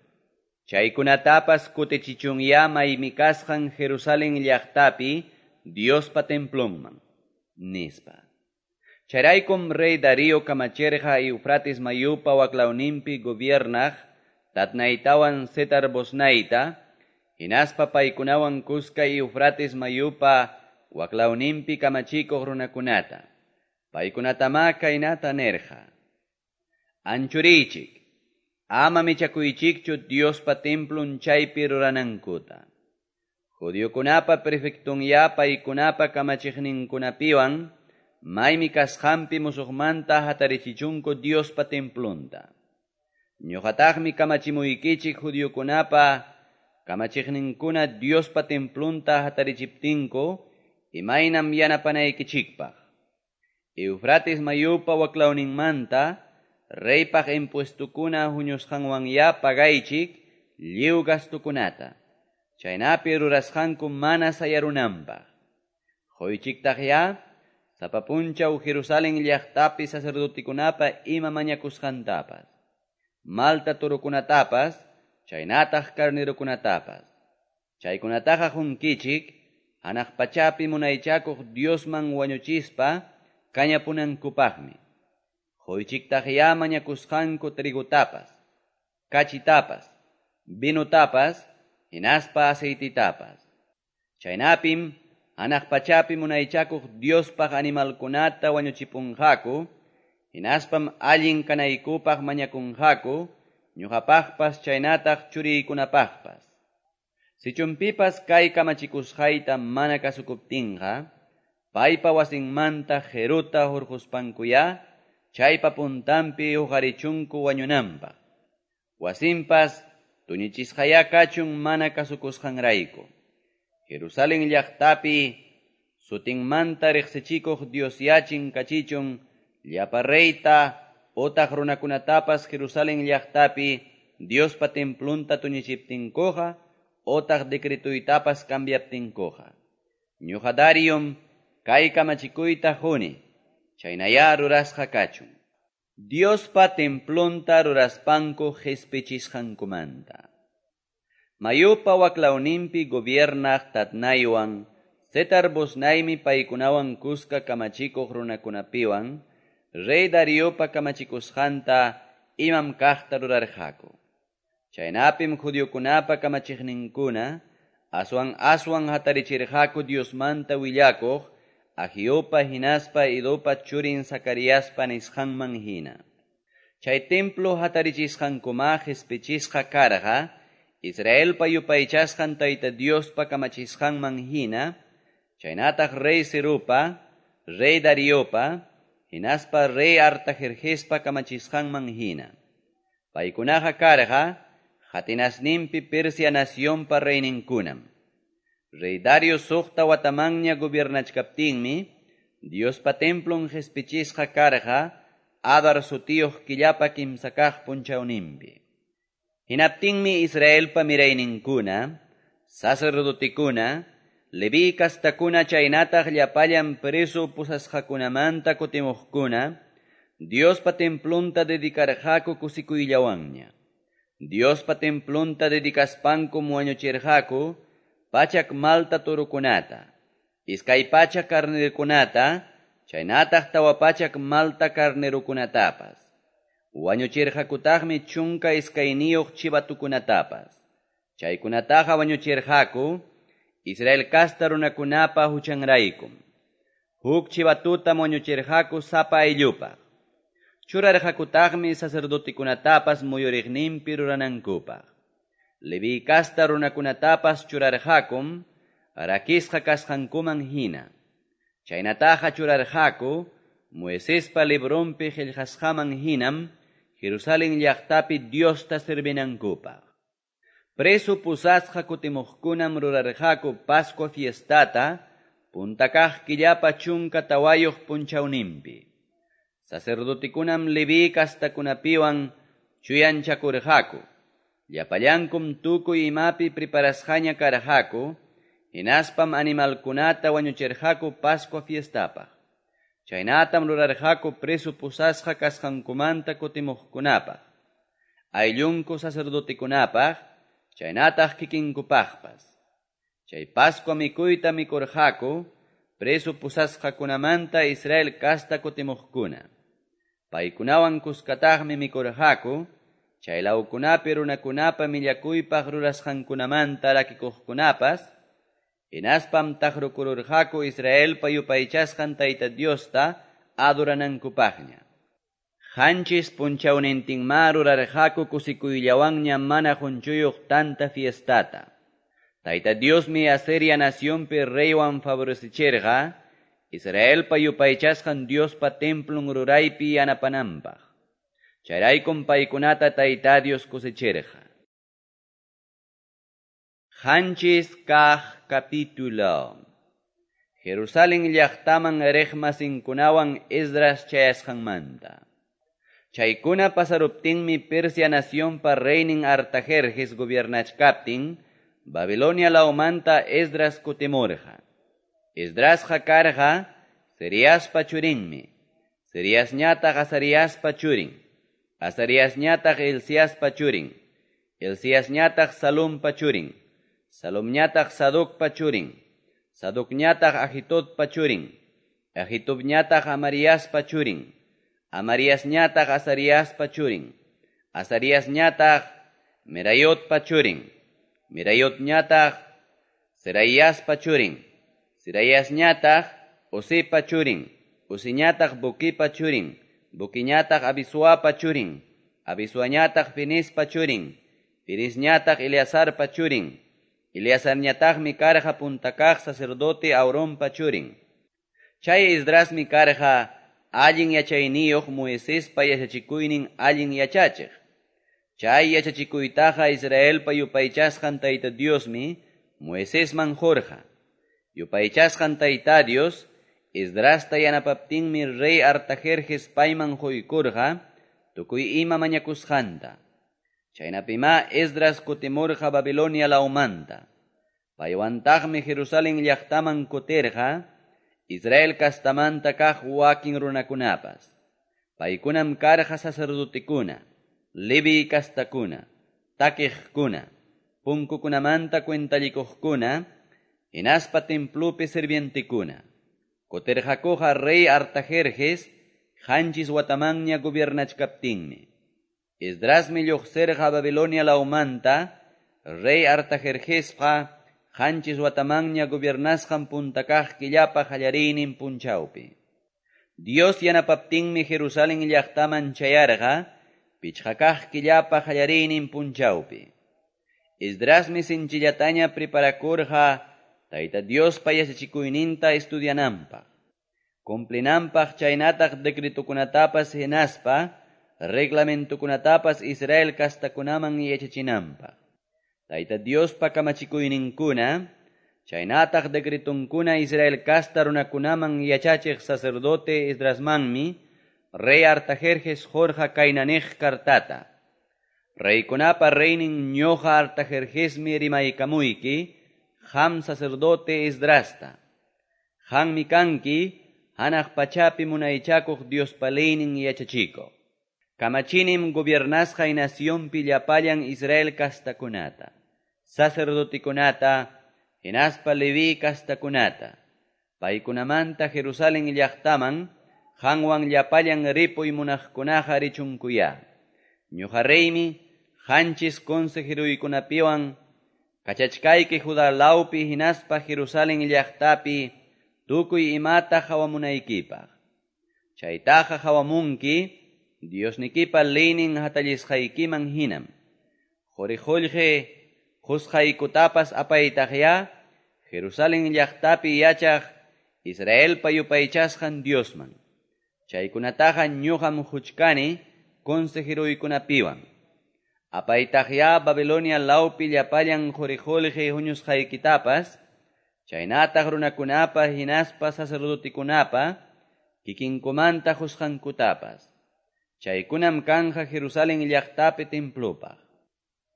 Chaykunatapas kutichichunya maymi kasqan Jerusalén llaqtapi Diospa templunman, nispa. Chayraykum rey Darío kamachirqa Eufrates mayupa waklawninpi gobiernaq Tatnaytawan Setar Bosnayta, hinaspa paykunawan kuska Eufrates mayupa waklawninpi kamachikuq runakunata. Paykunatama kaynata nirqa: Anchuriychik, ama michakuychikchu Diospa templun chaypi ruranankuta. Judiokunapa prefectunya paykunapa kamachiqninkunapiwan maymi kasqanpi musuqmanta hatarichichunku Diospa templunta. Ñuqataqmi kamachimuykichik judiokunapa kamachiqninkuna Diospa templunta hatarichiptinku imaynam yanapanaykichikpaq. Eufrates mayupa waklawninmanta reypaq impuestukuna huñusqanwanya pagaychik lliw gastukunata, chaynapi rurasqanku mana sayarunanpaq. Quychiktaqya sapa punchaw Jerusalén llaqtapi sacerdotekunapa ima mañakusqantapas. malta torokunatapas, chaynataq carnerokunatapas. Chaykunataqa qunkichik, hanaq pachapi munaychakuq Diosman wañuchispa kañapunankupaqmi. Quychiktaqyá mañakusqanku trigutapas, kachitapas, vinutapas, hinaspa aceititapas. Chaynapim hanaq pachapi munaychakuq Diospaq animalkunata wañuchipunqaku, hinaspam allin kanaykupaq mañakunqaku, ñuqapaqpas chaynataq churiykunapaqpas. Sichumpipas kay kamachikusqayta mana kasukuptinqa, paypa wasinmanta qiruta hurquspankuyá, chaypa puntanpi huqarichunku wañunanpaq. Wasinpas tuñichisqayá kachun mana kasukusqanrayku. Jerusalén llaqtapi sutinmanta riqsichikuq Diosyá chinkachichun llapa reyta otaq runakunatapas Jerusalén llaqtapi Diospa templunta tuñichiptinkuqa otaq decretuytapas cambiaptinkuqa. Ñuqa Dariom kay kamachikuyta quni, chaynayá rurasqa kachun. Diospa templunta ruraspanku qispichisqankumanta. Mayupa waklawninpi gobiernaq Tatnaywan, Setar-Boznaymi paykunawan kuska kamachikuq runakunapiwan, rey Dariopa kamachikusqanta imam kaqta rurarqaku. Chaynapim judiokunapa kamachiqninkuna aswan aswan hatarichirqaku Diosmanta willakuq Agiopa hinaspa Idopa churin Zacariaspa nisqanman hina. Chay templo hatarichisqankuma qispichisqa karqa Israelpa yupaychasqan Tayta Diospa kamachisqanman hina, chaynataq rey Ciropa, rey Dariopa, hinaspa rey Artajerjespa kamachisqanman hina. Paykunaqa karqa qatinasninpi Persia nacionpa reyninkunam. Rey Dario suqta watamanña gobiernachkaptinmi, Diospa templon qispichisqa karqa Adar sutiyuq killapa kimsa kaq punchawninpi. Hinaptinmi Israelpa mirayninkuna, sacerdotekuna, Leví kastakuna chaynataq llapallan preso pusasqakunamanta kutimuqkuna, Diospa templunta dedicarqaku kusikuyllawanña. Diospa templunta dedicaspankum wañuchirqaku pachak malta torokunata, iskay pachak carnerokunata, chaynataq tawa pachak malta carnerokunatapas. Wañuchirqakutaqmi chunka iskayniyuq chivatukunatapas. Chaykunataqa wañuchirqaku Israel kasta runakunapa huchanraykum. Huk chivatutam wañuchirqaku sapa ayllupaq. Churarqakutaqmi sacerdotekunatapas muyuriqninpi ruranankupaq. Leví kasta runakunatapas churarqakum rakisqa kasqankuman hina. Chaynataqa churarqaku Moisespa libronpi qillqasqaman hinam Jerusalén llaqtapi Diosta servinankupaq. Preso pusasqa kutimuqkunam rurarqaku Pascua fiestata punta kaq killapa chunka tawayuq punchawninpi. Sacerdotekunam Leví kastakunapiwan chuyanchakurqaku. Llapallankum tukuy imapi preparasqaña karqaku, hinaspam animalkunata wañuchirqaku Pascua fiestapaq. Chaynatam rurarqaku preso pusasqa kasqankumanta kutimuqkunapaq, ayllunku sacerdotekunapaq, chaynataq kikinkupaqpas. Chay Pascua mikuyta mikurqaku preso pusasqakunamanta Israel kasta kutimuqkuna. Paykunawan kuskataqmi mikurqaku chay lawkunapi runakunapa millakuypaq rurasqankunamanta rakikuqkunapas, hinaspam taqrukururqaku Israelpa yupaychasqan Tayta Diosta adoranankupaqña. Qanchis punchawnintinmá rurarqaku kusikuyllawanña mana qunchuyuq tanta fiestata. Tayta Diosmi Asiria nacionpi reywan favorecichirqa Israelpa yupaychasqan Diospa templun ruraypi yanapananpaq. Chayraykum paykunata Tayta Dios kusichirqa. Qanchis kaq capítulo. Jerusalén llaqtaman riqmasinkunawan Esdras chayasqanmanta. Chaykuna pasaruptinmi Persia nacionpa reynin Artajerjes gobiernachkaptin, Babilonia lawmanta Esdras kutimurqa. Esdrasqa karqa Seriaspa churinmi, Seriasñataq Azariaspa churin, Azariasñataq Hilciaspa churin, Hilciasñataq Salumpa churin, Salumñataq Sadocpa churin, Sadocñataq Ahitobpa churin, Ahitobñataq Amariaspa churin, Amariasñataq Azariaspa churin, Azariasñataq Merayotpa churin, Merayotñataq Zeraiaspa churin, Zeraiasñataq Uzipa churin, Uziñataq Buquipa churin, Buquiñataq Abisuapa churin, Abisuañataq Fineespa churin, Fineesñataq Eleazarpa churin, Eleazarñataqmi karqa punta kaq sacerdote Aaronpa churin. Chay Esdrasmi karqa allin yachayniyuq Moisespa yachachikuynin allin yachachiq. Chay yachachikuytaqa Israelpa yupaychasqan Tayta Diosmi Moisesman qurqa. Yupaychasqan Tayta Dios Esdrasta yanapaptinmi rey Artajerjes payman quykurqa tukuy ima mañakusqanta. Chaynapimá Esdras kutimurqa Babilonia lawmanta. Paywantaqmi Jerusalén llaqtaman kutirqa Israel kastamanta kaq wakin runakunapas. Paykunam karqa sacerdotekuna, Leví kastakuna, takiqkuna, punkukunamanta cuentallikuqkuna, hinaspa templopi sirvientekuna. Kutirqakuqa rey Artajerjes qanchis watamanña gobiernachkaptinmi. Esdrasmi lluqsirqa Babilonia lawmanta, rey Artajerjesqa qanchis watamanña gobiernasqan punta kaq killapa qallariynin punchawpi. Dios yanapaptinmi Jerusalén llaqtaman chayarqa pichqa kaq killapa qallariynin punchawpi. Esdrasmi sinchillataña preparakurqa Tayta Diospa yachachikuyninta estudiananpaq, cumplinanpaq chaynataq decretokunatapas hinaspa reglamentokunatapas Israel kastakunaman yachachinanpaq. Tayta Diospa kamachikuyninkuna, chaynataq decretonkuna Israel kasta runakunaman yachachiq sacerdote Esdrasmanmi rey Artajerjes qurqa kaynaniq kartata. Reykunapa reynin ñuqa Artajerjesmi rimaykamuyki, qam sacerdote Esdrasta. Qammi kanki hanaq pachapi munaychakuq Diospa leynin yachachikuq. Kamachinim gobiernasqay nacionpi llapallan Israel kastakunata, sacerdotekunata, hinaspa Leví kastakunata. Paykunamanta Jerusalén llaqtaman qanwan llapallan ripuy munaqkunaqa richunkuya. Ñuqa reymi qanchis consejeruykunapiwan kachachkayki Judá lawpi hinaspa Jerusalén llaqtapi tukuy imata qawamunaykipaq. Chaytaqa qawamunki Diosnikipa leynin hatallisqaykiman hinam. Quri qullqi qusqaykutapas apaytaqya Jerusalén llaqtapi yachaq Israelpa yupaychasqan Diosman. Chaykunataqa ñuqam huchkani consejeruykunapiwan. Apaytaqya Babilonia lawpi llapallan quri qullqi huñusqaykitapas, chaynataq runakunapa hinaspa sacerdotekunapa kikinkumanta qusqankutapas. Chaykunam kanja Jerusalén llaqtapi templopaq.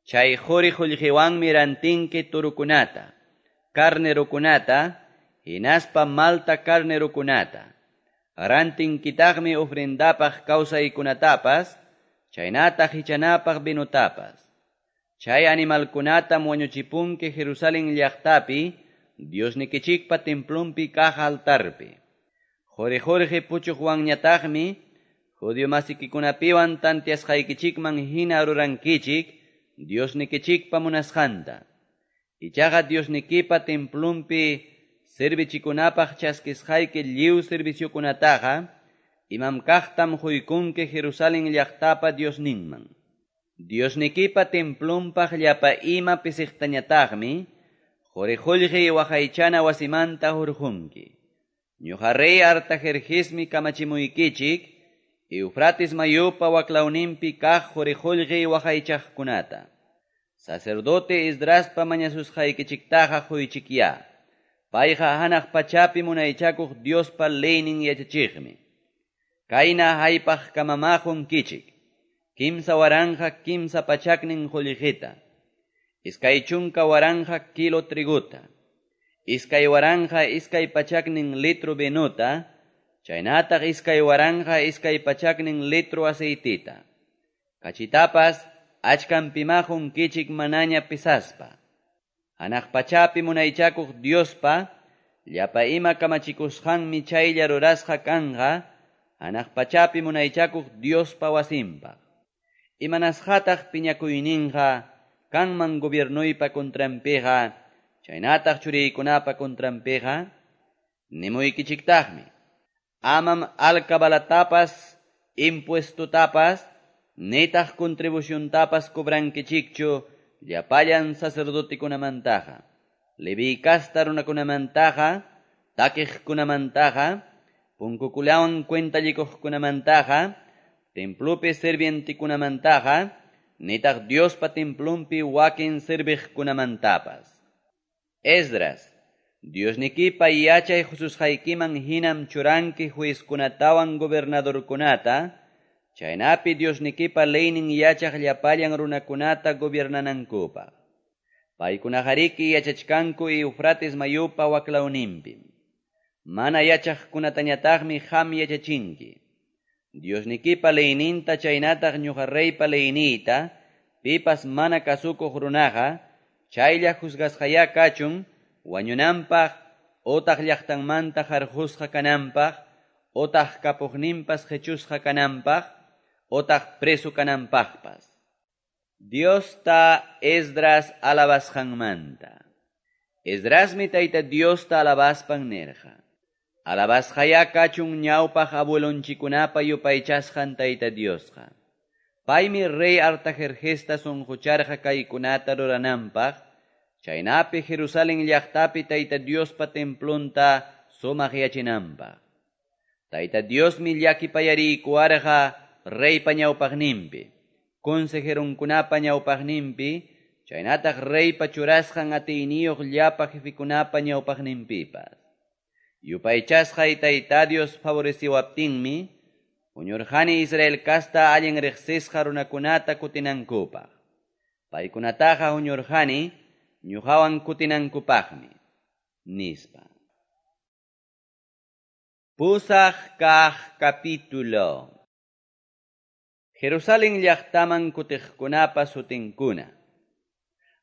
Chay quri qullqiwanmi rantinki turukunata, carnerokunata, hinaspa malta carnerokunata. Rantinkitaqmi ofrendapaq kawsaykunatapas, chaynataq hichanapaq vinotapas. Chay animalkunatam wañuchipunki Jerusalén llaqtapi, Diosnikichikpa templonpi kaq altarpi. Quri qullqi puchuqwanñataqmi judío masikikunapiwan tantiasqaykichikman hina rurankichik Diosnikichikpa munasqanta. Ichaqa Diosnikipa templonpi servichikunapaq chaskisqayki lliw serviciokunataqa imam kaqtam quykunki Jerusalén llaqtapa Diosninman. Diosnikipa templonpaq llapa ima pisiqtañataqmi quri qullqi waqaychana wasimanta hurqunki. Ñuqa rey Artajerjesmi kamachimuykichik Eufrates mayupa waklawninpi kaq quri qullqi waqaychaqkunata. Sacerdote Esdraspa mañasusqaykichiktaqa quychikya. Payqa hanaq pachapi munaychakuq Diospa leynin yachachiqmi. Kayna haypaq kamama qunkichik. Kimsa waranqa kimsa pachaknin qullqita. Iskay chunka waranqa kilo triguta. Iskay waranqa iskay pachaknin litro vinuta. Chaynataq iskay waranqa iskay pachaknin litro aceitita. Kachitapas achkanpimá qunkichik manaña pesaspa. Hanaq pachapi munaychakuq Diospa llapa ima kamachikusqanmi chaylla rurasqa kanqa hanaq pachapi munaychakuq Diospa wasinpaq. Imanasqataq piñakuyninqa kanman gobiernoypa contranpiqa chaynataq churiykunapa contranpiqa? Nimuykichiktaqmi, amam alcabalatapas, impuestotapas, nitaq contribuciontapas cobrankichikchu llapallan sacerdotikunamantaqa, Leví casta runakunamantaqa, takiqkunamantaqa, punkukunawan cuentallikuqkunamantaqa, templopi sirvientikunamantaqa, nitaq Diospa templonpi wakin serviqkunamantapas. Esdras, Diosnikipa yachay hususqaykiman hinam churanki juezkunatawan gobernadorkunata, chaynapi Diosnikipa leynin yachaq llapallan runakunata gobiernanankupaq. Paykunaqariki yachachkanku Eufrates mayupa waklawninpim. Mana yachaqkunatañataqmi qam yachachinki. Diosnikipa leyninta chaynataq ñuqa reypa leyniyta, pipas mana kasukuq runaqa, chaylla juzgasqayá kachun, wañunanpaq, otaq llaqtanmanta qarqusqa kananpaq, otaq kapuqninpas qechusqa kananpaq, otaq preso kananpaqpas. Diosta Esdras alabasqanmanta. Esdrasmi Tayta Diosta alabaspan nirqa. Alabasqayá kachun ñawpaq abuelonchikunapa yupaychasqan Tayta Diosqa. Paymi rey Artajerjesta sunqucharqa kaykunata rurananpaq, chaynapi Jerusalén llaqtapi Tayta Diospa templonta sumaqyachinanpaq. Tayta Diosmi llakipayariykuwarqa reypa ñawpaqninpi, consejeronkunapa ñawpaqninpi, chaynataq reypa churasqan atiyniyuq llapa jefikunapa ñawpaqninpipas. Yupaychasqay Tayta Dios favoreciwaptinmi, huñurqani Israel casta allin riqsisqa runakunata kutinankupaq. Paykunataqa huñurqani ñuqawan kutinankupaqmi, nispa. Pusaq kaq capítulo. Jerusalén llaqtaman kutiqkunapa sutinkuna.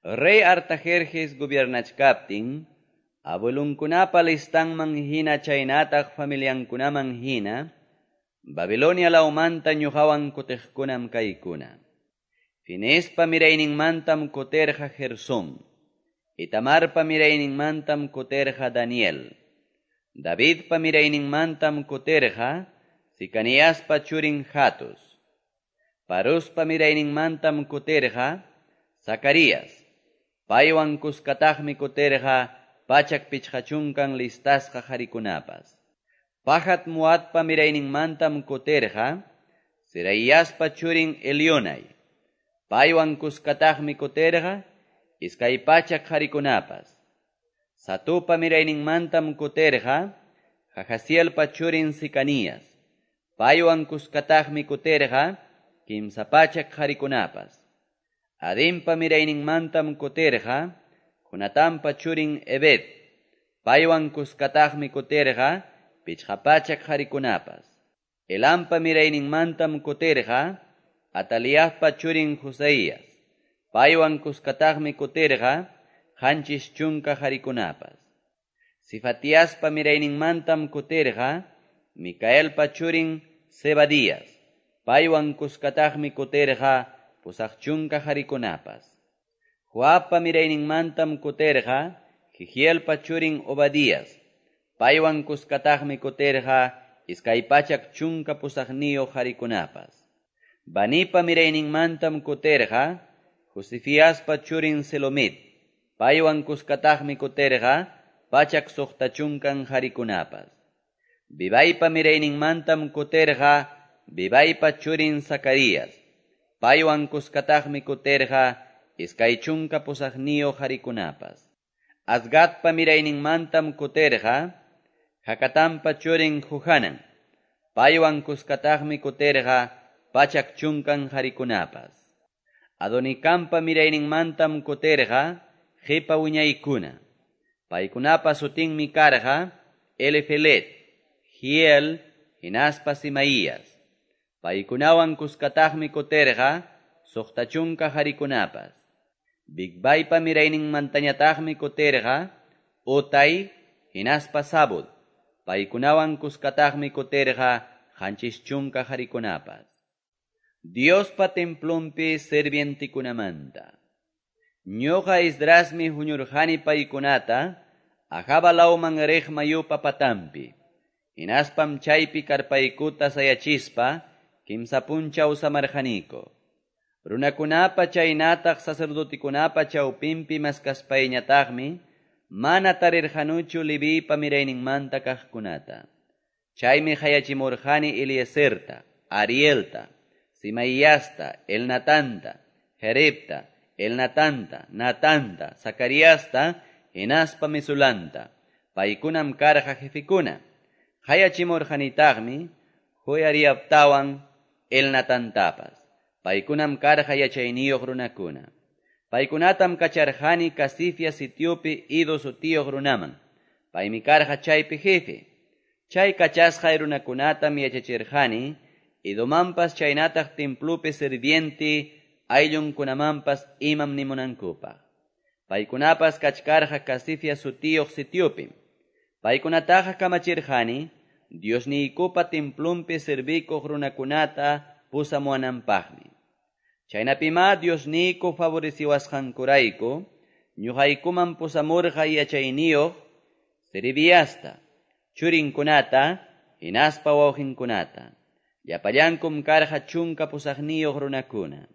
Rey Artajerjes gobiernachkaptin, abuelunkunapa listanman hina chaynataq familiankunaman hina, Babilonia lawmanta ñuqawan kutiqkunam kaykuna. Finespa mirayninmantam kutirqa Gersón, Itamarpa mirayninmantam kutirqa Daniel, Davidpa mirayninmantam kutirqa Sicaniaspa churin Hatus, Paruspa mirayninmantam kutirqa Zacarías, paywan kuskataqmi kutirqa pachak pichqachunkan listasqa qarikunapas. Pahat Moabpa mirayninmantam kutirqa Seraíaspa churin Elionai, paywan kuskataqmi kutirqa iskay pachak qarikunapas. Satupa mirayninmantam kutirqa Jahazielpa churin Sicanías, paywan kuskataqmi kutirqa kimsa pachak qarikunapas. Adinpa mirayninmantam kutirqa Jonatanpa churin Ebed, paywan kuskataqmi kutirqa pichqa pachak qarikunapas. Elampa mirayninmantam kutirqa Ataliaspa churin Joseías, paywan kuskataqmi kutirqa qanchis chunka qarikunapas. Sifatiaspa mirayninmantam kutirqa Micaelpa churin Zebadías, paywan kuskataqmi kutirqa pusaq chunka qarikunapas. Joabpa mirayninmantam kutirqa Jehielpa churin Obadías, paywan kuskataqmi kutirqa iskay pachak chunka pusaqniyuq qarikunapas. Banipa mirayninmantam kutirqa Josifiaspa churin Selomit, paywan kuskataqmi kutirqa pachak suqta chunkan qarikunapas. Bibaypa mirayninmantam kutirqa Bibaypa churin Zacarías, paywan kuskataqmi kutirqa iskay chunka pusaqniyuq qarikunapas. Azgadpa mirayninmantam kutirqa Hacatanpa churin Johanan, paywan kuskataqmi kutirqa pachak chunkan qarikunapas. Adonikampa mirayninmantam kutirqa qipa wiñaykuna. Paykunapa sutinmi karqa Elifelet, Hiel, hinaspa Simaías. Paykunawan kuskataqmi kutirqa soqta chunka qarikunapas. Bigvaipa mirayninmantañataqmi kutirqa Utai hinaspa Zabud. Paykunawan kuskataqmi kutirqa qanchis chunka qarikunapas. Diospa templonpi sirvientikunamanta. Ñuqa Esdrasmi huñurqani paykunata Ahava lawman riq mayupa patanpi. Hinaspam chaypi karpaykuta sayachispa kimsa punchaw samarqaniku. Runakunapa chaynataq sacerdotekunapa chawpinpi maskaspayñataqmi mana tarirqanuchu Leviypa mirayninmanta kaqkunata. Chaymi qayachimurqani Eliezerta, Arielta, Simaíasta, Elnatanta, Jeribta, Elnatanta, Natanta, Zacariasta, hinaspa Mesulanta. Paykunam karqa jefekuna. Qayachimurqanitaqmi Joiaribtawan Elnatantapas. Paykunam karqa yachayniyuq runakuna. Paykunatam kacharqani Casifia sitiopi Ido sutiyuq runaman. Paymi karqa chaypi jefe. Chay kachasqay runakunatam yachachirqani Idomanpas chaynataq templopi sirviente ayllunkunamanpas imam nimunankupaq. Paykunapas kachkarqa Casifia sutiyuq sitiopim. Paykunataqa kamachirqani Diosniykupa templonpi servikuq runakunata pusamuwananpaqmi. Chaynapimá Diosniyku favoreciwasqankurayku ñuqaykuman pusamurqa yachayniyuq Serebiasta, churinkunata, hinaspa wawqinkunata. Llapallankum karqa chunka pusaqniyuq runakuna.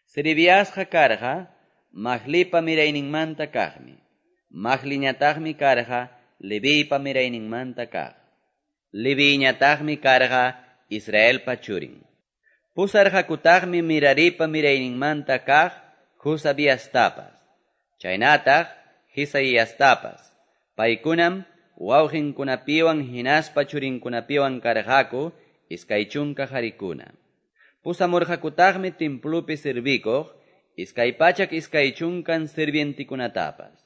Serebiasqa karqa Mahlipa mirayninmanta kaqmi. Mahliñataqmi karqa Leviypa mirayninmanta kaq. Leviyñataqmi karqa Israelpa churin. Pusarqakutaqmi Meraripa mirayninmanta kaq Josabiastapas. Chaynataq Jesaiastapas. Paykunam wawqinkunapiwan hinaspa churinkunapiwan karqaku iskay chunka qarikuna. Pusamurqakutaqmi templopi servikuq iskay pachak iskay chunkan sirvientikunatapas.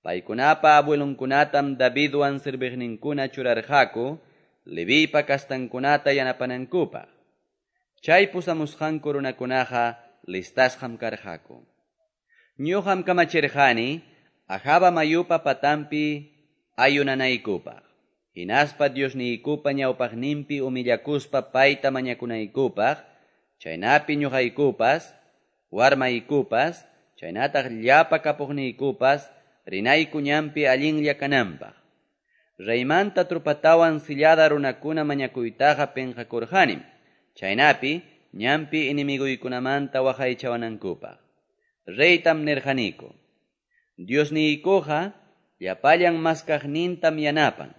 Paykunapa abuelonkunatam Davidwan serviqninkuna churarqaku Leviypa kastankunata yanapanankupaq. Chay pusamusqanku runakunaqa listasqam karqaku. Ñuqam kamachirqani Ahava mayupa patanpi ayunanaykupaq. Hinaspa Diosniykupa ñawpaqninpi humillakuspa payta mañakunaykupaq, chaynapi ñuqaykupas, warmaykupas, chaynataq llapa kapuqniykupas, rinayku ñanpi allinlla kananpaq. Reymanta trupatawan sillada runakuna mañakuytaqa penqakurqanim, chaynapi ñanpi enemiguykunamanta waqaychawanankupaq. Reytam nirqaniku: Diosniykuqa llapallan maskaqnintam yanapan,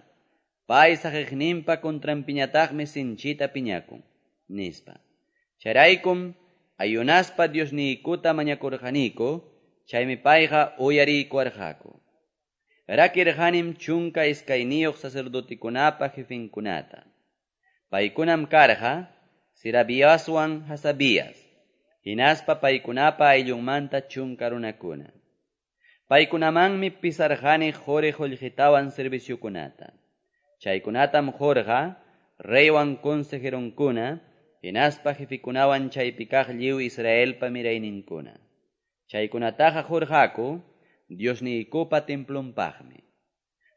pay saqiqninpa contranpiñataqmi sinchita piñakun, nispa. Chayraykum ayunaspa Diosniykuta mañakurqaniku, chaymi payqa uyariykuwarqaku. Rakirqanim chunka iskayniyuq sacerdotekunapa jefenkunata. Paykunam karqa Serabiaswan Hasabias, hinaspa paykunapa ayllunmanta chunka runakuna. Paykunamanmi pisarqani quri qullqitawan serviciokunata. Chaykunatam qurqa reywan consejeronkuna, hinaspa jefekunawan chaypi kaq lliw Israelpa mirayninkuna. Chaykunataqa qurqaku Diosniykupa templonpaqmi.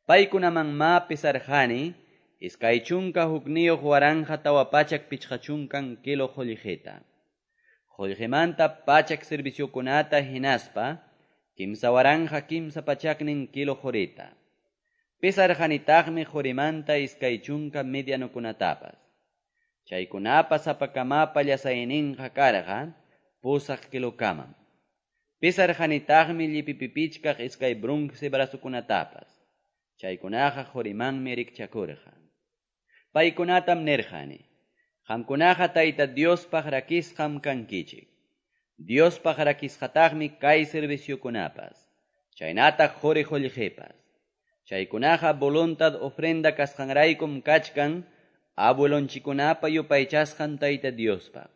Paykunamanmá pisarqani iskay chunka hukniyuq waranqa tawa pachak pichqa chunkan kilo qullqita. Qullqimanta pachak serviciokunata hinaspa kimsa waranqa kimsa pachaknin kilo qurita. Pisarqanitaqmi qurimanta iskay chunka medianokunatapas. Chaykunapa sapakamapa llasayninqa karqa pusaq kilokamam. Pisarqanitaqmi llipipipichkaq iskay bronce brazokunatapas. Chaykunaqa qurimanmi rikchakurqa. Paykunatam nirqani: Qamkunaqa Tayta Diospaq rakisqam kankichik. Diospaq rakisqataqmi kay serviciokunapas, chaynataq quri qullqipas. Chaykunaqa voluntad ofrenda kasqanraykum kachkan abuelonchikunapa yupaychasqan Tayta Diospaq.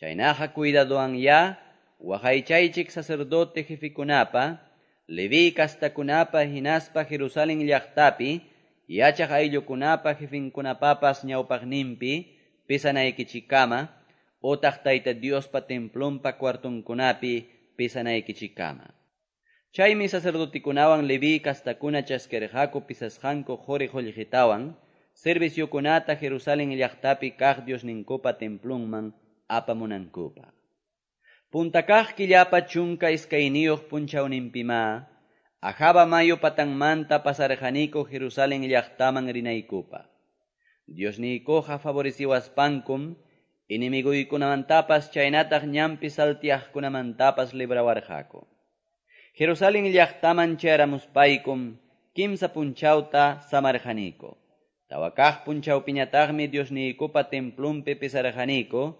Chaynaqa cuidadowan ya waqaychaychik sacerdote jefekunapa, Leví kastakunapa hinaspa Jerusalén llaqtapi yachaq ayllukunapa jefenkunapapas ñawpaqninpi pisanaykichikkama otaq Tayta Diospa templonpa cuartonkunapi pesanaykichikkama. Chaymi sacerdotekunawan Leví castakuna chaskirqaku pesasqanku qori-qollqetawan serviciokunata Jerusalén llaqtapi kaq Diosninkupa templonman apamunankupaq. Punta kaq killapa chunka iskayniyuq punchawninpimá Ahava mayu patanmanta pasarqaniku Jerusalén llaqtaman rinaykupaq. Diosniykuqa favoreciwaspankum enemiguykunamantapas chaynataq ñanpi salteaqkunamantapas librawarqaku. Jerusalén llaqtaman chayaramuspaykum kimsa punchawta samarqaniku. Tawa kaq punchawpiñataqmi Diosniykupa templonpi pesarqaniku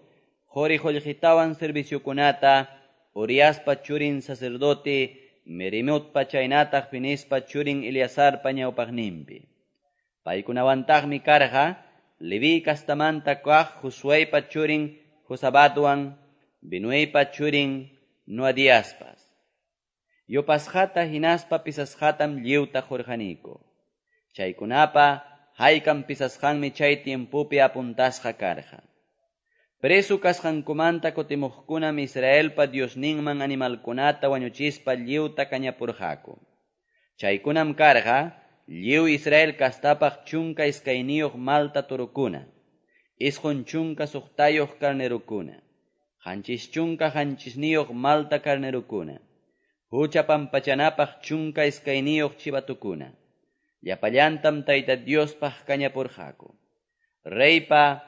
qori qollqetawan serviciokunata Uriaspa churin sacerdote Meremotpa chaynataq Fineespa churin Eleazarpa ñawpaqninpi. Paykunawantaqmi karqa Leví castamanta kaq Josueypa churin Josabadwan Binueypa churin Noadiaspas. Yupasqata hinaspa pesasqatam lliwta qurqaniku. Chaykunapa haykam pesasqanmi chay tiempopi apuntasqa karqa. Preso kasqankumanta kutimuqkunam Israelpa Diosninman animalkunata wañuchispa lliwta kañapurqaku. Chaykunam karqa lliw Israel kastapaq chunka iskayniyuq malta torokuna, isqun chunka suqtayuq carnerukuna, qanchis chunka qanchisniyuq malta carnerukuna, hucha pampachanapaq chunka iskayniyuq chivatukuna. Llapallantam Tayta Diospaq kañapurqaku. Reypa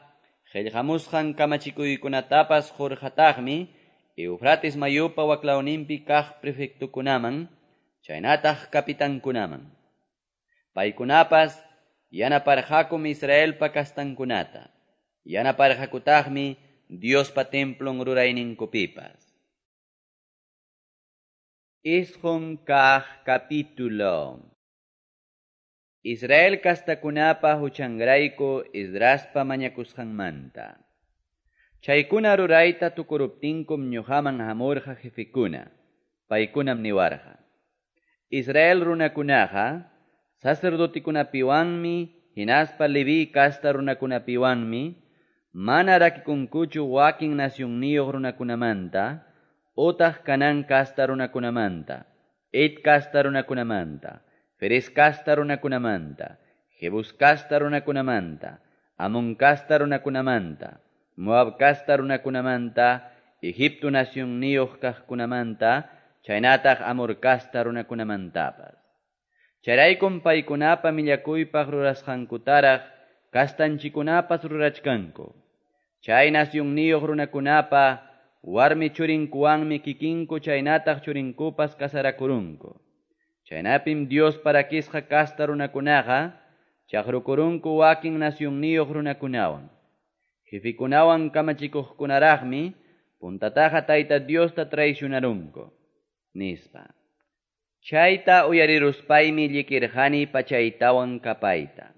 qillqamusqan kamachikuykunatapas qurqataqmi Eufrates mayupa waklawninpi kaq prefectokunaman, chaynataq kapitankunaman. Paykunapas yanaparqakum Israelpa kastankunata, yanaparqakutaqmi Diospa templon rurayninkupipas. Isqun kaq capítulo. Israel kastakunapa huchanrayku Esdraspa mañakusqanmanta. Chaykuna rurayta tukuruptinkum ñuqaman hamurqa jefekuna, paykunam niwarqa. Israel runakunaqa sacerdotikunapiwanmi hinaspa Leví kasta runakunapiwanmi mana rakikunkuchu wakin nacionniyuq runakunamanta utaq Canaán kasta runakunamanta, Het kasta runakunamanta, Ferez kasta runakunamanta, Jebus kasta runakunamanta, Amón kasta runakunamanta, Moab kasta runakunamanta, Egipto nacionniyuq kaqkunamanta, chaynataq Amor kasta runakunamantapas. Chayraykum paykunapa millakuypaq rurasqankutaraq kastanchikunapas rurachkanku. Chay nacionniyuq runakunapa warmi churinkuwanmi kikinku chaynataq churinkupas kasarakurunku. Chaynapim Dios parakisqa kasta runakunaqa chaqrukurunku wakin nacionniyuq runakunawan. Jefikunawan kamachikuqkunaraqmi puntataqa Tayta Diosta traicionarunku, nispa. Chayta uyariruspaymi llikirqani pachaytawan kapayta.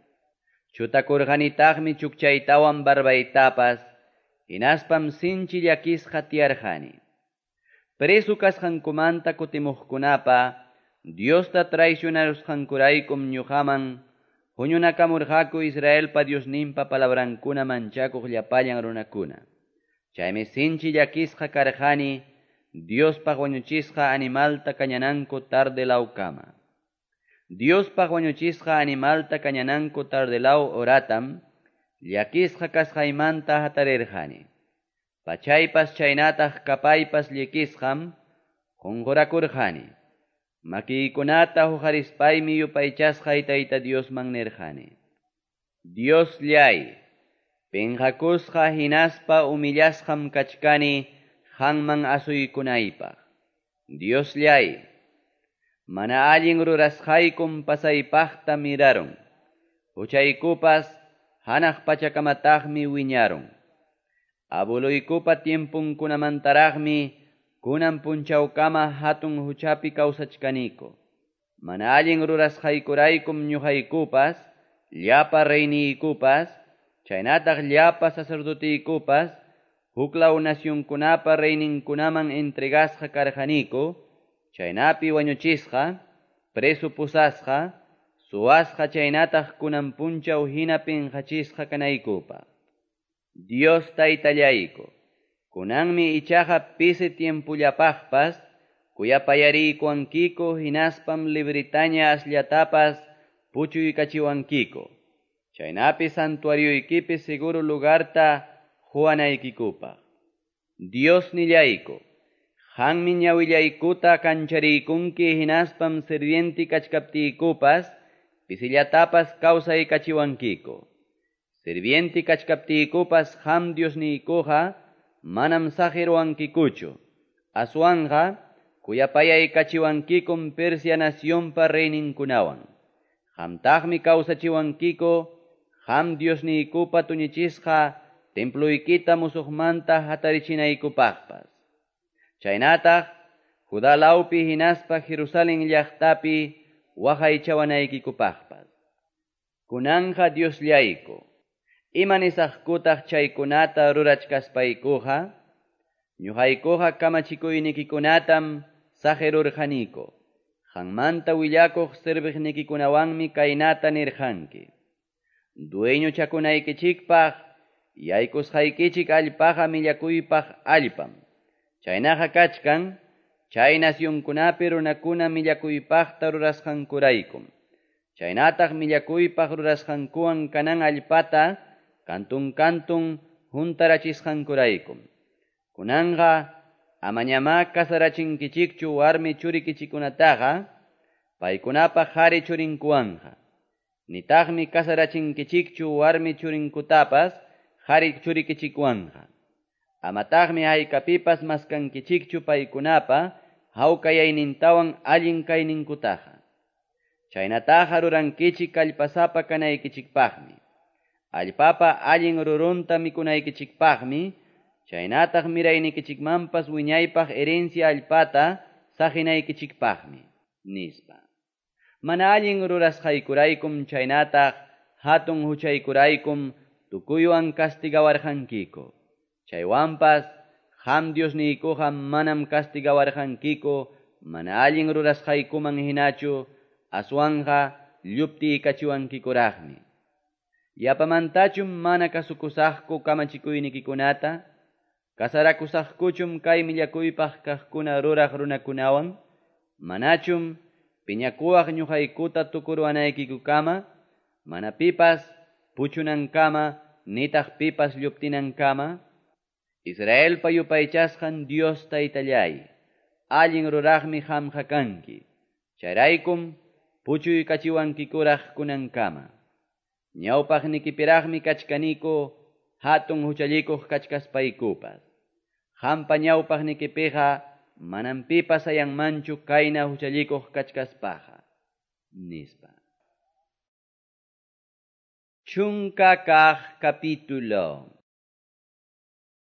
Chutakurqanitaqmi chukchaytawan barbaytapas, hinaspam sinchi llakisqa tiyarqani. Preso kasqankumanta kutimuqkunapa Diosta traicionarusqankuraykum ñuqaman huñunakamurqaku Israelpa Diosninpa palabrankuna manchakuq llapallan runakuna. Chaymi sinchi llakisqa karqani Diospaq wañuchisqa animalta kañananku tardelawkama. Diospaq wañuchisqa animalta kañananku tardelaw horatam llakisqa kasqaymanta hatarirqani. Pachaypas chaynataq kapaypas llikisqam qunqurakurqani. Makiykunata huqarispaymi yupaychasqay Tayta Diosman nirqani. Diosllay, pinqakusqa hinaspa humillasqam kachkani qanman asuykunaypaq. Diosllay, mana allin rurasqaykum pasaypaqta mirarun. Huchaykupas hanaq pachakamataqmi wiñarun. Abueluykupa tiempunkunamantaraqmi kunan punchawkama hatun huchapi kawsachkaniku. Mana allin rurasqaykuraykum ñuqaykupas, llapa reyniykupas, chaynataq llapa sacerdotiykupas, huklaw nacionkunapa reyninkunaman entregasqa karqaniku, chaynapi wañuchisqa, preso pusasqa, suwasqa chaynataq kunan punchaw hina pinqachisqa kanaykupaq. Dios Taytallayku, Kunanmi ichaqa pisi tiempollapaqpas kuyapayariykuwankiku hinaspam libretaña asllatapas puchuykachiwankiku, chaynapi santuarioykipi seguro lugarta quwanaykikupaq. Diosnillayku, qanmi ñawillaykuta kanchariykunki hinaspam sirviente kachkaptiykupas pisillatapas kawsaykachiwankiku. Sirviente kachkaptiykupas qam Diosniykuqa manam saqiruwankikuchu, aswanqa kuyapayaykachiwankikum Persia nacionpa reyninkunawan. Qamtaqmi kawsachiwankiku qam Diosniykupa tuñichisqa temploykita musuqmanta hatarichinaykupaqpas. Chaynataq Judá lawpi hinaspa Jerusalén llaqtapi waqaychawanaykikupaqpas. Kunanja Diosllayku, ima nisaqkutaq chaykunata rurachkaspaykuqa? Ñuqaykuqa kamachikuynikikunatam saqirurqaniku. Qanmanta willakuq serviqnikikunawanmi kaynata nirqanki: Dueñochakunaykichikpaq yaykusqaykichik allpaqa millakuypaq allpam. Chaynaqa kachkan chay nacionkunapi runakuna millakuypaqta rurasqankuraykum. Chaynataq millakuypaq rurasqankuwan kanan allpata kantun kantun juntarachisqankuraykum. Kunanqa amañamá kasarachinkichikchu warmi churikichikunataqa paykunapa qhari churinkuwanqa. Nitaqmi kasarachinkichikchu warmi churinkutapas qhari churikichikwanqa. Amataqmi haykapipas maskankichikchu paykunapa hawkayaynintawan allin kayninkutaqa. Chaynataqa rurankichik kallpasapa kanaykichikpaqmi. Allpapa allin rurunta mikunaykichikpaqmi, chaynataq miraynikichikmanpas wiñaypaq herencia allpata saqinaykichikpaqmi, nispa. Mana allin rurasqaykuraykum chaynataq hatun huchaykuraykum tukuywan castigawarqankiku. Chaywanpas qam Diosniykuqa manam castigawarqankiku mana allin rurasqaykuman hinachu, aswanqa lluptiykachiwankikuraqmi. Yapamantachum mana kasukusaqku kamachikuynikikunata? Kasarakusaqkuchum kay millakuypaq kaqkuna ruraq runakunawan? Manachum piñakuwaq ñuqaykuta tukuruwanaykikukama? Mana pipas puchunankama, nitaq pipas lluptinankama? Israelpa yupaychasqan Dios taytallay, allin ruraqmi qamqa kanki. Chayraykum puchuykachiwankikuraq kunankama. Ñawpaqnikipiraqmi kachkaniku hatun huchallikuq kachkaspaykupas. Qampa ñawpaqnikipiqa manam pipas ayanmanchu kayna huchallikuq kachkaspaqa, nispa. Chunka kaq capítulo.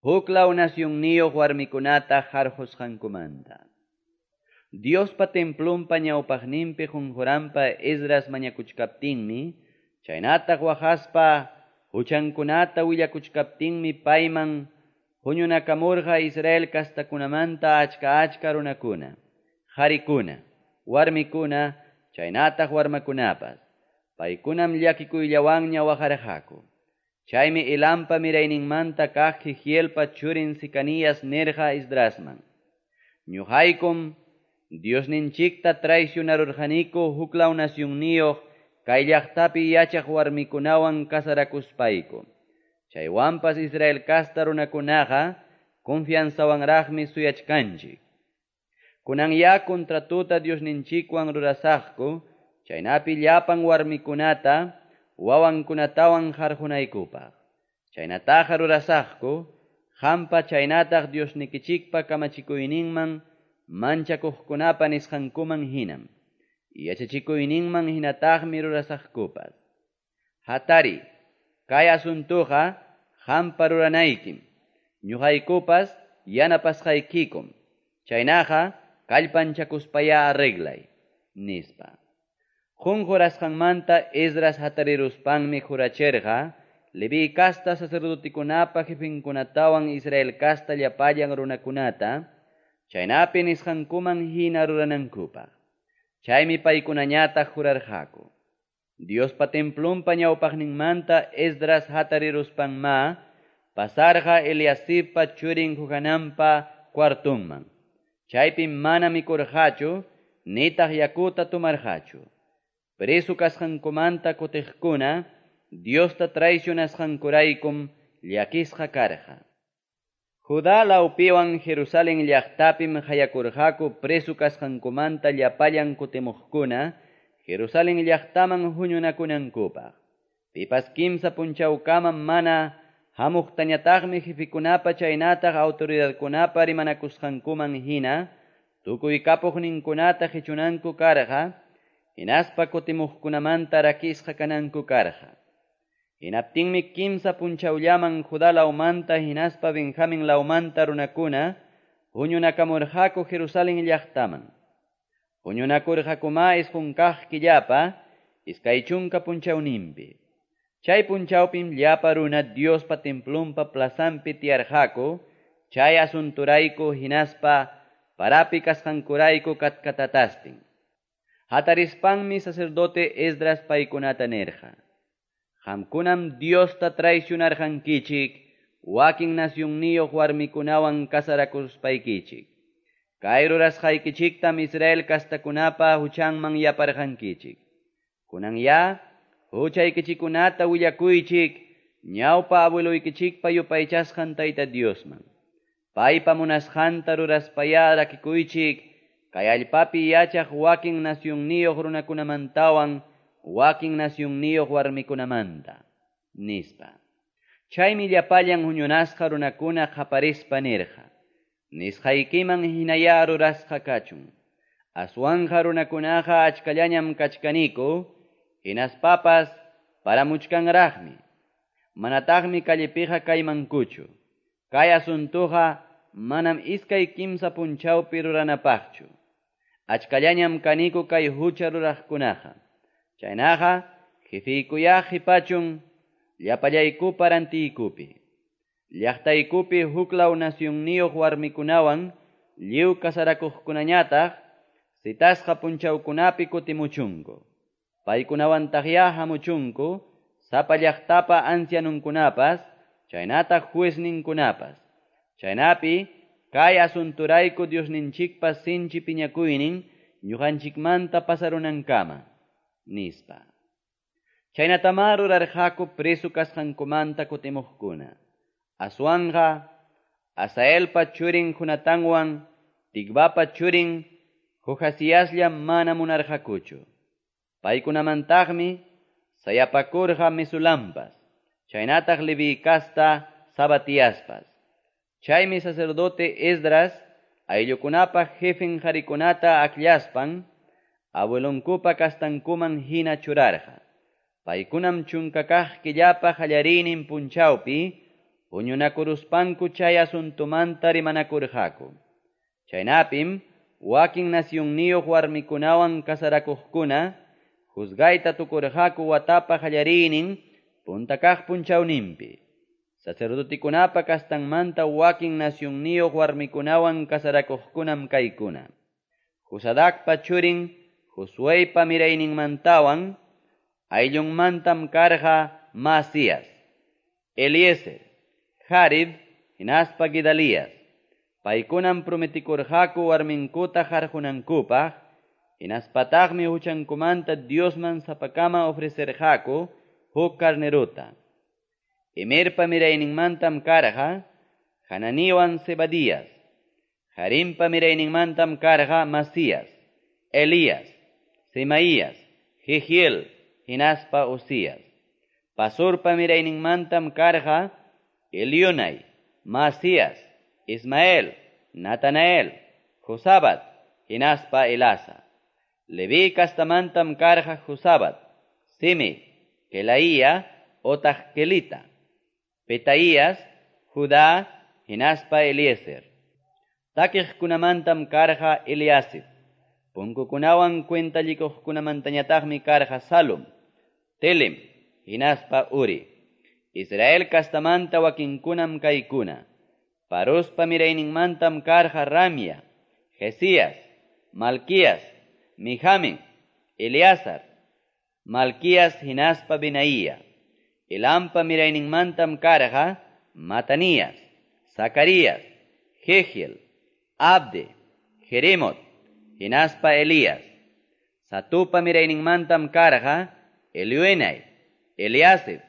Huklaw nacionniyuq warmikunata harqusqankumanta. Diospa templonpa ñawpaqninpi qunquranpa Esdras mañakuchkaptinmi, chaynataq waqaspa huchankunata willakuchkaptinmi payman huñunakamurqa Israel kastakunamanta achka achka runakuna, qarikuna, warmikuna, chaynataq warmakunapas. Paykunam llakikuyllawanña waqarqaku. Chaymi Elampa mirayninmanta kaq Jehielpa churin Secanías nirqa Esdrasman: Ñuqaykum Diosninchikta traicionarurqaniku huklaw nacionniyuq kay llaqtapi yachaq warmikunawan kasarakuspayku. Chaywanpas Israel kasta runakunaqa confianzawanraqmi suyachkanchik. Kunanya contratuta Diosninchikwan rurasaqku, chaynapi llapan warmikunata wawankunatawan harqunaykupaq. Chaynataqa rurasaqku, qampa chaynataq Diosnikichikpa kamachikuyninman manchakuqkunapa nisqankuman hinam. Yachachikuyninman hinataqmi rurasaqkupas. Hatari, kay asuntuqa qampa ruranaykim. Ñuqaykupas yanapasqaykikum. Chaynaqa kallpanchakuspaya arreglay, nispa. Qunqurasqanmanta Esdras hatariruspanmi jurachirqa Leví kasta sacerdotikunapa jefinkunatawan Israel kasta llapallan runakunata, chaynapi nisqankuman hina ruranankupaq. Chaymi paykunañataq jurarqaku. Diospa templonpa ñawpaqninmanta Esdras hatariruspanma pasarqa Eliasibpa churin Johananpa cuartunman. Chaypim mana mikurqachu, nitaq yakuta tomarqachu. Preso kasqankumanta kutiqkuna, Diosta traicionasqankuraykum llakisqa karqa. Judá lawpiwan Jerusalén llaqtapim hayakurqaku preso kasqankumanta llapallan kutimuqkuna, Jerusalén llaqtaman huñunakunankupaq. Pipas kimsa punchawkama mana hamuqtañataqmi jefikunapa chaynataq autoridadkunapa rimanakusqankuman hina, tukuy kapuqninkunata qichunanku karqa, hinaspa kutimuqkunamanta rakisqa kananku karqa. Hinaptinmi kimsa punchawllaman Judá lawmanta hinaspa Benjamín lawmanta runakuna huñunakamurqaku Jerusalén llaqtaman. Huñunakurqakuma isqun kaq killapa iskay chunka punchawninpi. Chay punchawpim llapa runa Diospa templonpa plazanpi tiyarqaku, chay asunturayku hinaspa parapi kasqankurayku katkatatastin. Hatarispanmi sacerdote Esdras paykunata nirqa: Qamkunam Diosta traicionarqankichik, wakin nacionniyuq warmikunawan kasarakuspaykichik. Kay rurasqaykichiktam Israel kastakunapa huchanman yaparqankichik. Kunan ya, huchaykichikunata willakuychik, ñawpa abueloykichikpa yupaychasqan Tayta Diosman. Paypa munasqanta ruraspaya rakikuychik, kay allpapi yachaq wakin nacionniyuq runakunamantawan, wakin nacionniyuq warmikunamanta, nispa. Chaymi llapallan huñunasqa runakuna qaparispa nirqa: Nisqaykiman hinaya rurasqa kachun. Aswanja runakunaqa achkallañam kachkaniku, hinaspapas paramuchkanraqmi. Manataqmi callepiqa kaymankuchu. Kay asuntuqa manam iskay kimsa punchawpi ruranapaqchu. Achkallañam kaniku kay hucha ruraqkunaqa. Chaynaqa, jefiykuya qhipachun llapallaykupa rantiykupi. Llaqtaykupi huklaw nacionniyuq warmikunawan lliw kasarakuqkunañataq citasqa punchawkunapi kutimuchunku. Paykunawantaqya hamuchunku sapa llaqtapa ancianunkunapas, chaynataq juezninkunapas. Chaynapi kay asunturayku Diosninchikpa sinchi piñakuynin ñuqanchikmanta pasarunankama, nispa. Chaynatamá rurarqaku preso kasqankumanta kutimuqkuna. Aswanja, Asaelpa churin Jonatanwan, Tikvapa churin Jojaziaslla mana munarqakuchu. Paykunamantaqmi sayapakurqa Mesulampas, chaynataq Leví kasta Sabatiaspas. Chaymi sacerdote Esdras ayllukunapa jefen qharikunata akllaspan, abuelonkupa kastankuman hina churarqa. Paykunam chunka kaq killapa qallariynin punchawpi huñunakuruspanku chay asuntumanta rimanakurqaku. Chaynapim wakin nacionniyuq warmikunawan kasarakuqkuna juzgayta tukurqaku watapa qallariynin punta kaq punchawninpi. Sacerdotikunapa kastanmanta wakin nacionniyuq warmikunawan kasarakuqkunam kaykuna: Josadacpa churin Josueypa mirayninmantawan ayllunmantam karqa Masías, Eliezer, Jarib hinaspa Gedalías. Paykunam prometikurqaku warminkuta harqunankupaq, hinaspataqmi huchankumanta Diosman sapakama ofrecerqaku huk carneruta. Imerpa mirayninmantam karqa Hananiwan Zebadías. Harimpa mirayninmantam karqa Masías, Elías, Semaías, Jehiel, hinaspa Usías. Pasurpa mirayninmantam karqa Elionai, Masías, Ismael, Natanael, Josabat, hinaspa Elasa. Leví kastamantam karqa Josabat, Simi, Kelaía, otaq Kelita, Petaías, Judá, hinaspa Eliezer. Takiqkunamantam karqa Eliasib. Punkukunawan cuentallikuqkunamantañataqmi karqa Salum, Telem, hinaspa Uri. Israel kastamanta wakinkunam kaykuna: Parospa mirayninmantam karqa Ramia, Jesías, Malquías, Mijamin, Eleazar, Malquías hinaspa Benaía. Elampa mirayninmantam karqa Matanías, Zacarías, Jehiel, Abde, Jeremot, hinaspa Elías. Satupa mirayninmantam karqa Elioenai, Eliasib,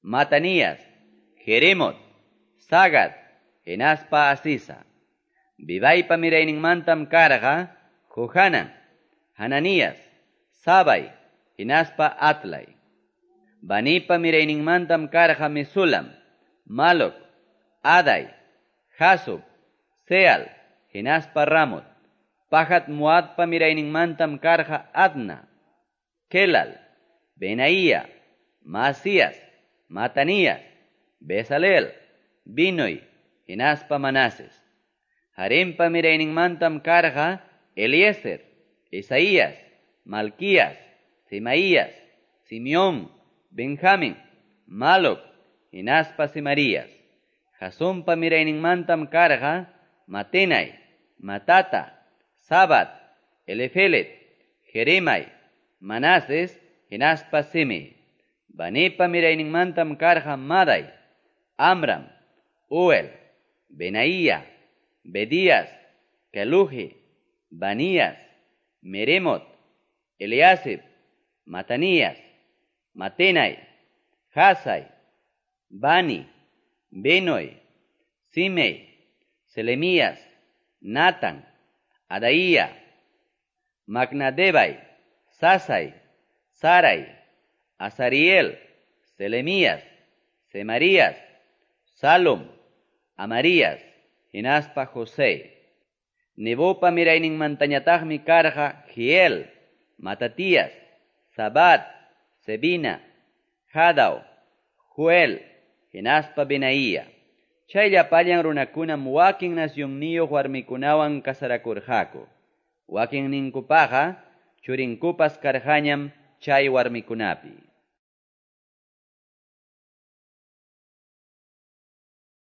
Matanías, Jeremot, Sagad, hinaspa Asisa. Bibaipa mirayninmantam karqa Johanan, Hananías, Sabai, hinaspa Atlai. Banipa mirayninmantam karqa Mesulam, Malok, Adai, Jasub, Seal, hinaspa Ramot. Pahat Moabpa mirayninmantam karqa Adna, Kelal, Benaía, Masías, Matanías, Bezalel, Binoi, hinaspa Manases. Harempa mirayninmantam karqa Eliezer, Isaías, Malquías, Semaías, Simeón, Benjamín, Maloc, hinaspa Semarías. Jasumpa mirayninmantam karqa Matenai, Matata, Sabat, Elifelet, Jeremai, Manases, hinaspa Simei. Banipa mirayninmantam karqa Madai, Amram, Uel, Benaía, Bedías, Keluji, Banías, Meremot, Eliasib, Matanías, Matenai, Hasai, Bani, Benoi, Simei, Selemías, Natan, Adaía, Macnadebai, Sasai, Sarai, Azariel, Selemías, Semarías, Salom, Amarías, hinaspa José. Nebopa mirayninmantañataqmi karqa Jiel, Matatías, Sabat, Sebina, Jadao, Joel, hinaspa Benaía. Chay llapallan runakunam wakin nacionniyuq warmikunawan kasarakurqaku. Wakinninkupaqa churinkupas karqañam chay warmikunapi.